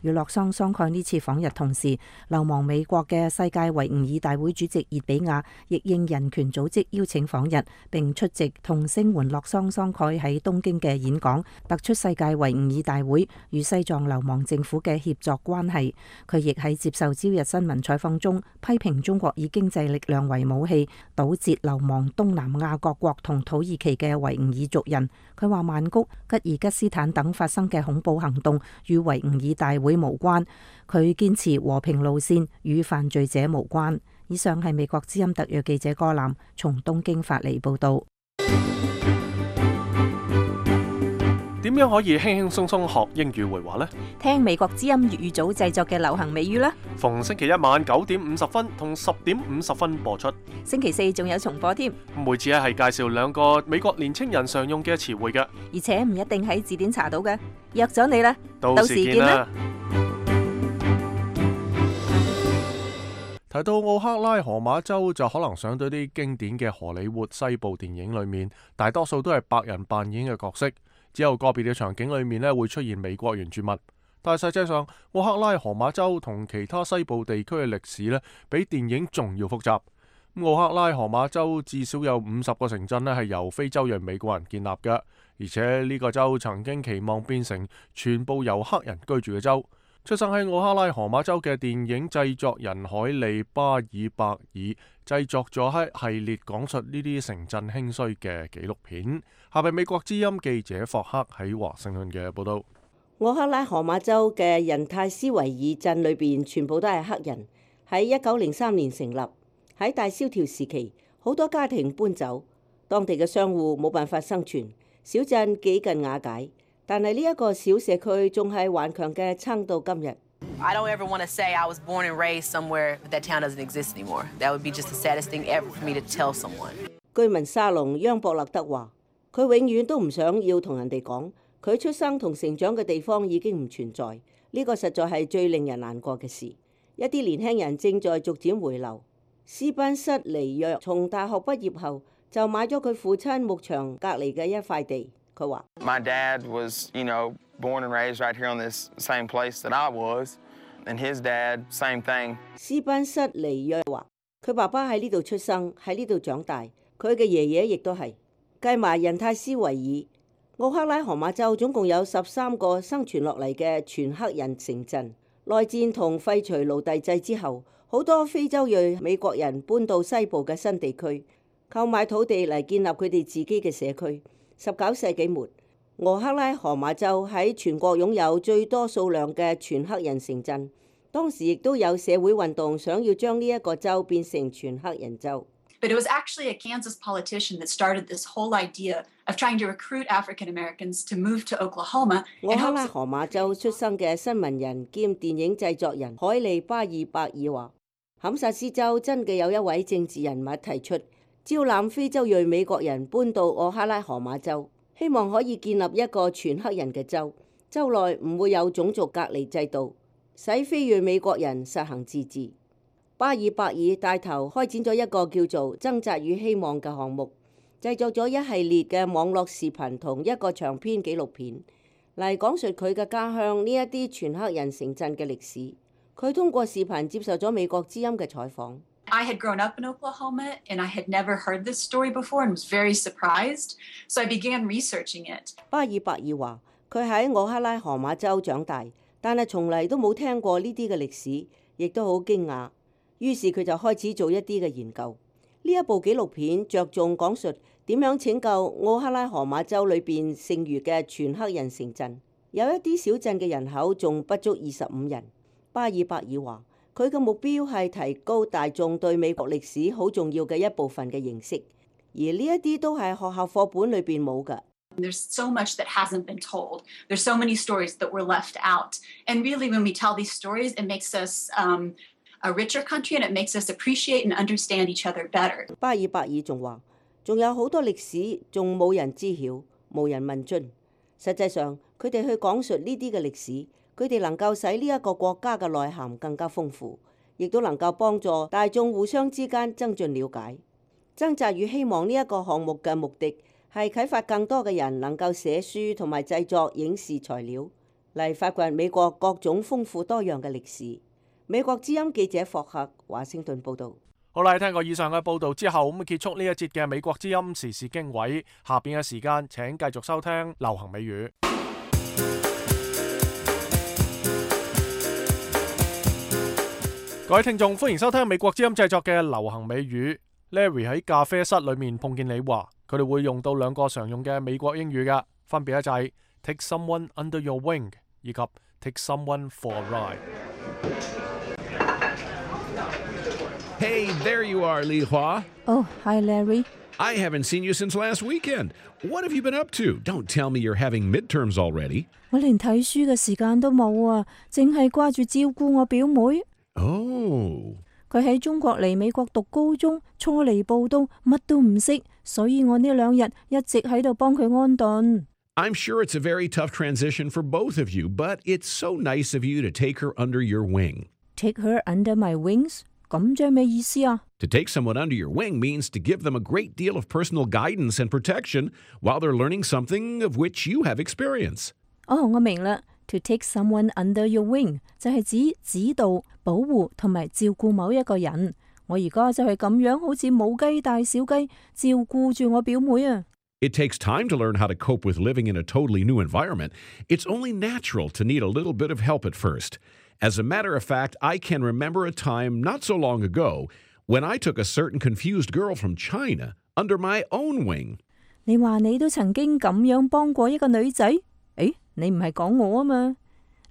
與洛桑桑蓋呢次訪日同時，流亡美國嘅世界維吾爾大會主席熱比亞亦應人權組織邀請訪日，並出席同聲援洛桑桑蓋喺東京嘅演講，突出世界維吾爾大會與西藏流亡政府嘅協作關係。佢亦喺接受朝日新聞採訪中批評中國以經濟力量為武器，堵截流亡東南亞各國同土耳其嘅維吾爾族人。佢話曼谷、吉爾吉斯坦等發生嘅恐怖行動與維吾爾大會無關，佢堅持和平路線，與犯罪者無關。以上係美國之音特約記者柯南從東京發嚟報道。點樣可以輕輕鬆鬆學英語會話呢？聽美國之音粵語組製作嘅流行美語啦。逢星期一晚9點50分同10點50分播出。星期四仲有重播添。每次係介紹2個美國年青人常用嘅詞彙嘅，而且唔一定喺字典查到嘅。約咗你啦，到時見啦。提到奧克拉荷馬州，就可能想到啲經典嘅荷里活西部電影裏面，大多數都係白人扮演嘅角色。只有個別嘅場景裏面咧會出現美國原住民，但係實際上奧克拉荷馬州同其他西部地區嘅歷史咧比電影仲要複雜。奧克拉荷馬州至少有50個城鎮咧係由非洲裔美國人建立嘅，而且呢個州曾經期望變成全部由黑人居住嘅州。出生喺奧克拉荷馬州嘅電影製作人海利巴爾伯爾製作咗一系列講述呢啲城鎮興衰嘅紀錄片。下邊美國之音記者霍克喺華盛頓嘅報道。奧克拉荷馬州嘅人泰斯維爾鎮裏邊全部都係黑人，喺1903年成立。喺大蕭條時期，好多家庭搬走，當地嘅商戶冇辦法生存，小鎮幾近瓦解。但係呢一個小社區仲係頑強嘅撐到今日。I don't ever want to say I was born and raised somewhere but that town doesn't exist anymore. That would be just the saddest thing ever for me to tell someone. 居民沙龍央博勒德話：佢永遠都唔想要同人哋講，佢出生同成長嘅地方已經唔存在。呢個實在係最令人難過嘅事。一啲年輕人正在逐漸回流。斯班瑟尼約從大學畢業後就買咗佢父親牧場隔離嘅一塊地。佢話：My dad was, born and raised right here on this same place that I was, and his dad, same thing. 斯班瑟尼約話：佢爸爸喺呢度出生，喺呢度長大，佢嘅爺爺亦都係。計埋人泰斯維爾，奧克拉荷馬州總共有13個生存落嚟嘅全黑人城鎮。內戰同廢除奴隸制之後，好多非洲裔美國人搬到西部嘅新地區，購買土地嚟建立佢哋自己嘅社區。19世紀末，奧克拉荷馬州喺全國擁有最多數量嘅全黑人城鎮。當時亦都有社會運動，想要將呢一個州變成全黑人州。But it was actually a Kansas politician that started this whole idea of trying to recruit African Americans to move to Oklahoma. 奧克拉荷馬州出生嘅新聞人兼電影製作人海利巴爾伯爾話：堪薩斯州真嘅有一位政治人物提出招攬非洲裔美國人搬到奧克拉荷馬州，希望可以建立一個全黑人嘅州，州內唔會有種族隔離制度，使非裔美國人實行自治。巴爾伯爾帶頭開展咗一個叫做《掙扎與希望》嘅項目，製作咗一系列嘅網絡視頻同一個長篇紀錄片嚟講述佢嘅家鄉呢一啲全黑人城鎮嘅歷史。佢通過視頻接受咗美國之音嘅採訪。I had grown up in Oklahoma and I had never heard this story before and was very surprised, so I began researching it. 巴爾伯爾話：佢喺奧克拉荷馬州長大，但係從嚟都冇聽過呢啲嘅歷史，亦都好驚訝。於是佢就開始做一啲嘅研究。呢一部紀錄片着重講述點樣拯救奧克拉荷馬州裏邊剩餘嘅全黑人城鎮，有一啲小鎮嘅人口仲不足25人。巴爾伯爾話：佢嘅目標係提高大眾對美國歷史好重要嘅一部分嘅認識，而呢一啲都係學校課本裏邊冇㗎。There's so much that hasn't been told. There's so many stories that were left out. And really, when we tell these stories, it makes us a richer country and it makes us appreciate and understand each other better. 巴爾伯爾仲話：仲有好多歷史仲冇人知曉，冇人問津。實際上，佢哋去講述呢啲嘅歷史，佢哋能夠使呢一個國家嘅內涵更加豐富，亦都能夠幫助大眾互相之間增進了解。曾澤宇希望呢一個項目嘅目的係啟發更多嘅人能夠寫書同埋製作影視材料，嚟發掘美國各種豐富多樣嘅歷史。美國之音記者霍克華盛頓報導。好啦，聽過以上嘅報導之後，咁結束呢一節嘅美國之音時事經緯。下邊嘅時間請繼續收聽流行美語。各位聽眾，歡迎收聽美國之音製作嘅流行美語。Larry 喺咖啡室裏面碰見你話，佢哋會用到兩個常用嘅美國英語嘅，分別就係 take someone under your wing 以及 take someone for a ride。 Hey, there you are, Li Hua. Oh, hi, Larry. I haven't seen you since last weekend. What have you been up to? Don't tell me you're having midterms already. 我連睇書嘅時間都冇啊，淨係掛住照顧我表妹。Oh. 佢喺中國嚟美國讀高中，初嚟報到，乜都唔識，所以我呢2日一直喺度幫佢安頓。I'm sure it's a very tough transition for both of you, but it's so nice of you to take her under your wing. Take her under my wings? 咁即係咩意思啊？ To take someone under your wing means to give them a great deal of personal guidance and protection while they're learning something of which you have experience. 哦，我明啦。To take someone under your wing 就係指指導、保護同埋照顧某一個人。我而家就係咁樣，好似母雞帶小雞，照顧住我表妹啊。It takes time to learn how to cope with living in a totally new environment. It's only natural to need a little bit of help at first. As a matter of fact, I can remember a time not so long ago when I took a certain confused girl from China under my own wing. 你話你都曾經咁樣幫過一個女仔？誒，你唔係講我啊嘛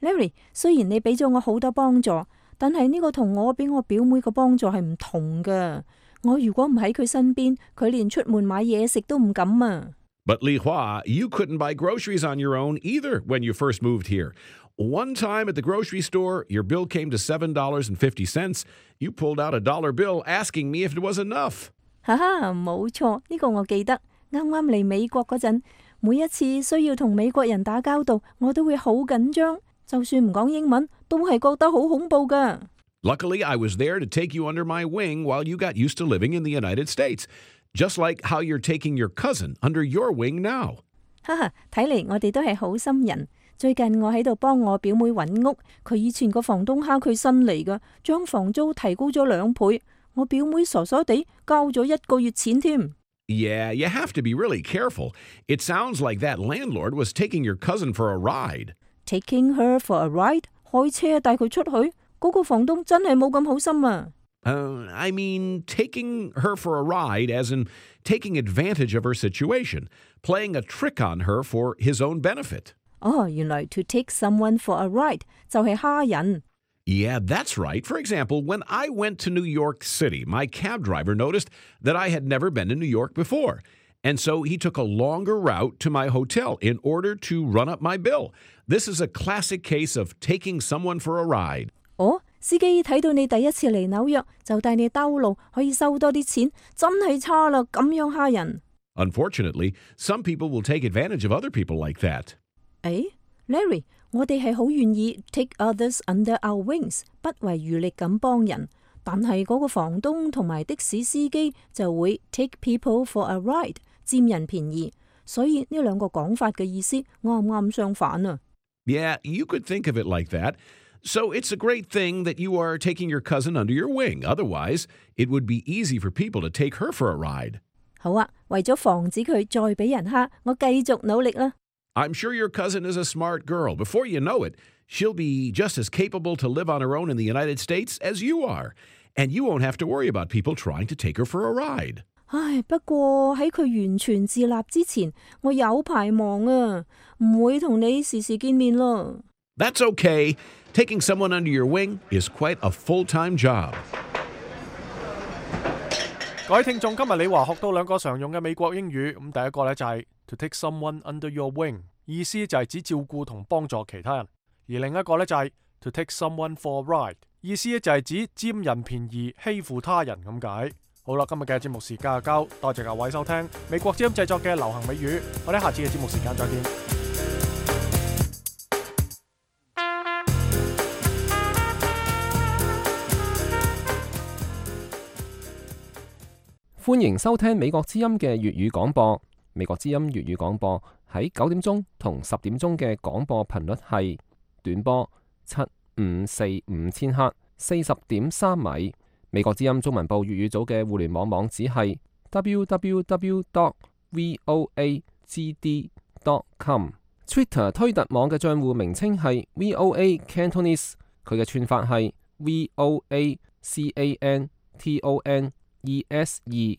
？Larry， 雖然你俾咗我好多幫助，但係呢個同我俾我表妹個幫助係唔同㗎。我如果唔喺佢身邊，佢連出門買嘢食都唔敢啊。But Li Hua, you couldn't buy groceries on your own either when you first moved here. One time at the grocery store, your bill came to $7.50. You pulled out a dollar bill asking me if it was enough. 哈哈，冇錯，呢個我記得。啱啱嚟美國嗰陣，每一次需要同美國人打交道，我都會好緊張，就算唔講英文，都係覺得好恐怖㗎。Luckily, I was there to take you under my wing while you got used to living in the United States, just like how you're taking your cousin under your wing now. 哈哈，睇嚟我哋都係好心人。最近我喺度幫我表妹揾屋，佢以前個房東蝦佢新嚟㗎，將房租提高咗2倍。我表妹傻傻地交咗1個月錢添。Yeah, you have to be really careful. It sounds like that landlord was taking your cousin for a ride. Taking her for a ride？ 開車帶佢出去？嗰個房東真係冇咁好心啊。I mean, taking her for a ride as in taking advantage of her situation, playing a trick on her for his own benefit. 哦，原來 to take someone for a ride 就係蝦人。Yeah, that's right. For example, when I went to New York City, my cab driver noticed that I had never been to New York before. And so he took a longer route to my hotel in order to run up my bill. This is a classic case of taking someone for a ride. 哦，司機睇到你第一次嚟紐約，就帶你兜路，可以收多啲錢，真係差啦，咁樣蝦人。Unfortunately, some people will take advantage of other people like that. 誒 ，Larry， 我哋係好願意 take others under our wings， 不遺餘力咁幫人，但係嗰個房東同埋的士司機就會 take people for a ride， 佔人便宜。所以呢兩個講法嘅意思啱唔啱相反啊？ Yeah, you could think of it like that. So it's a great thing that you are taking your cousin under your wing. Otherwise, it would be easy for people to take her for a ride. 好啊，為咗防止佢再俾人蝦，我繼續努力啦。I'm sure your cousin is a smart girl. Before you know it, she'll be just as capable to live on her own in the United States as you are. and you won't have to worry about people trying to take her for a ride. 唉，不過喺佢完全自立之前，我有排忙啊，唔會同你時時見面咯。That's okay. Taking someone under your wing is quite a full-time job. 各位聽眾，今日李華學到兩個常用嘅美國英語。咁第一個呢，就係 to take someone under your wing， 意思就係指照顧同幫助其他人；而另一個呢，就係 to take someone for a ride， 意思就係指佔人便宜、欺負他人咁解。好啦，今日嘅節目時間就夠，多謝各位收聽美國之音製作嘅流行美語，我哋下次嘅節目時間再見。歡迎收聽美國之音嘅粵語廣播。美國之音粵語廣播喺9點鐘同10點鐘嘅廣播頻率係短波7545千赫40.3米。美國之音中文部粵語組嘅互聯網網址係 www.voagd.com。Twitter 推特網嘅賬戶名稱係 VOA Cantonese， 佢嘅串法係 VOACANTONESE。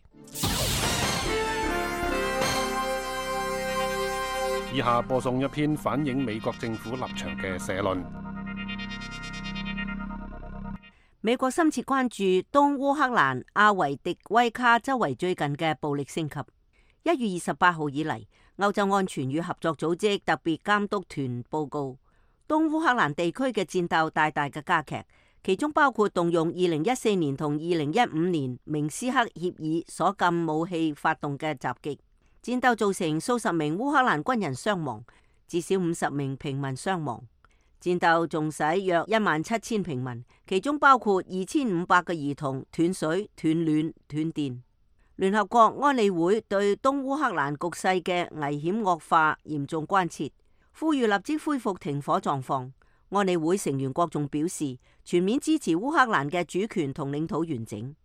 以下播送一篇反映美國政府立場嘅社論。美國深切關注東烏克蘭阿維迪威卡周圍最近嘅暴力升級。1月28號以嚟，歐洲安全與合作組織特別監督團報告，東烏克蘭地區嘅戰鬥大大嘅加劇，其中包括動用2014年同2015年明斯克協議所禁武器發動嘅襲擊。戰鬥造成數十名烏克蘭軍人傷亡，至少50名平民傷亡。戰鬥仲使約17000平民，其中包括2500個兒童斷水、斷暖、斷電。聯合國安理會對東烏克蘭局勢嘅危險惡化嚴重關切，呼籲立即恢復停火狀況。安理會成員國仲表示全面支持烏克蘭嘅主權同領土完整。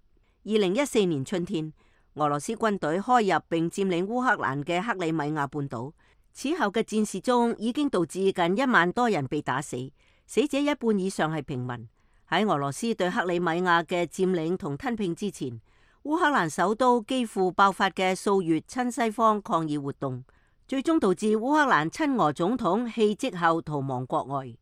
2014年春天，俄羅斯軍隊開入並佔領烏克蘭嘅克里米亞半島。此後嘅戰事中已經導致近1萬多人被打死，死者一半以上係平民。喺俄羅斯對克里米亞嘅佔領同吞併之前，烏克蘭首都幾乎爆發嘅數月親西方抗議活動，最終導致烏克蘭親俄總統棄職後逃亡國外。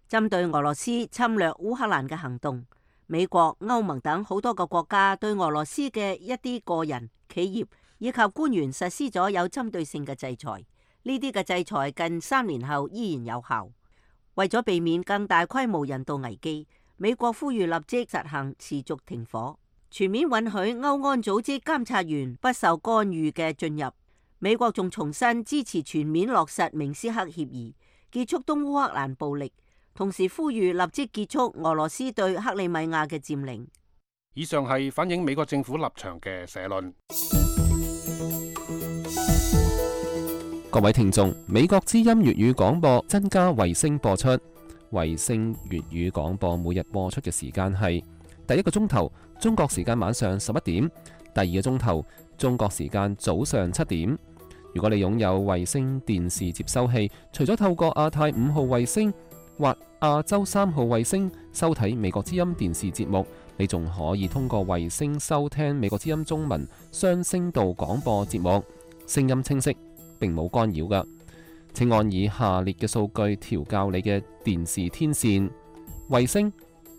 針對俄羅斯侵略烏克蘭嘅行動，美國、歐盟等好多個國家對俄羅斯嘅一啲個人、企業以及官員實施咗有針對性嘅制裁。呢啲嘅制裁近3年後依然有效。為咗避免更大規模人道危機，美國呼籲立即實行持續停火，全面允許歐安組織監察員不受干預嘅進入。美國仲重申支持全面落實明斯克協議，結束東烏克蘭暴力，同時呼籲立即結束俄羅斯對克里米亞嘅佔領。以上係反映美國政府立場嘅社論。各位聽眾，美國之音粵語廣播增加衛星播出。衛星粵語廣播每日播出嘅時間係第一個鐘頭中國時間晚上11點，第二個鐘頭中國時間早上7點。如果你擁有衛星電視接收器，除咗透過亞太5號衛星或亞洲3號衛星收睇美國之音電視節目，你仲可以通過衛星收聽美國之音中文雙聲道廣播節目，聲音清晰，並冇干擾㗎。請按以下列嘅數據調校你嘅電視天線：衛星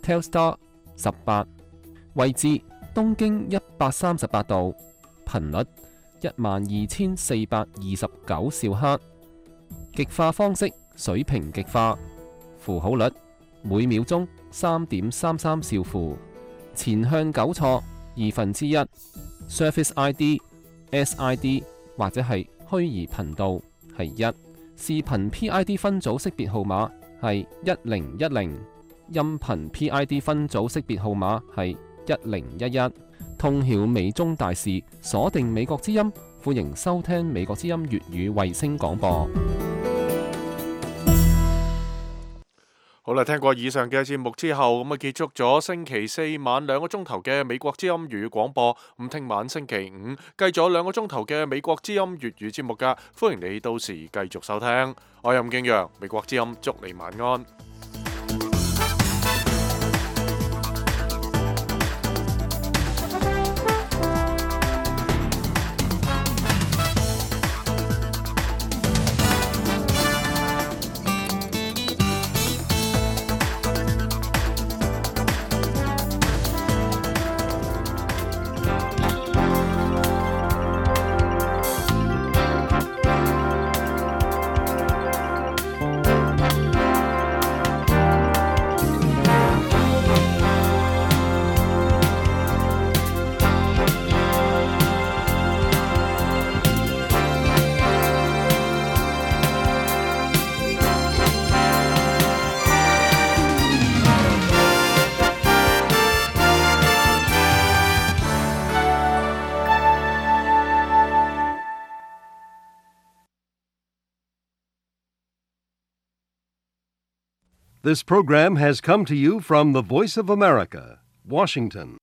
Telstar 18，位置東經138度，頻率12429兆赫，極化方式水平極化，符號率每秒鐘3.33兆符，前向糾錯1/2， Surface ID、SID 或者係虛擬頻道係1，視頻 PID 分組識別號碼係1010，音頻 PID 分組識別號碼係1011。通曉美中大事，鎖定美國之音，歡迎收聽美國之音粵語衛星廣播。好啦，聽過以上嘅節目之後，咁結束咗星期4晚2個鐘頭嘅美國之音粵語廣播。咁聽晚星期5繼續2個鐘頭嘅美國之音粵語節目噶，歡迎你到時繼續收聽。我係吳敬陽，美國之音祝你晚安。This program has come to you from the Voice of America, Washington.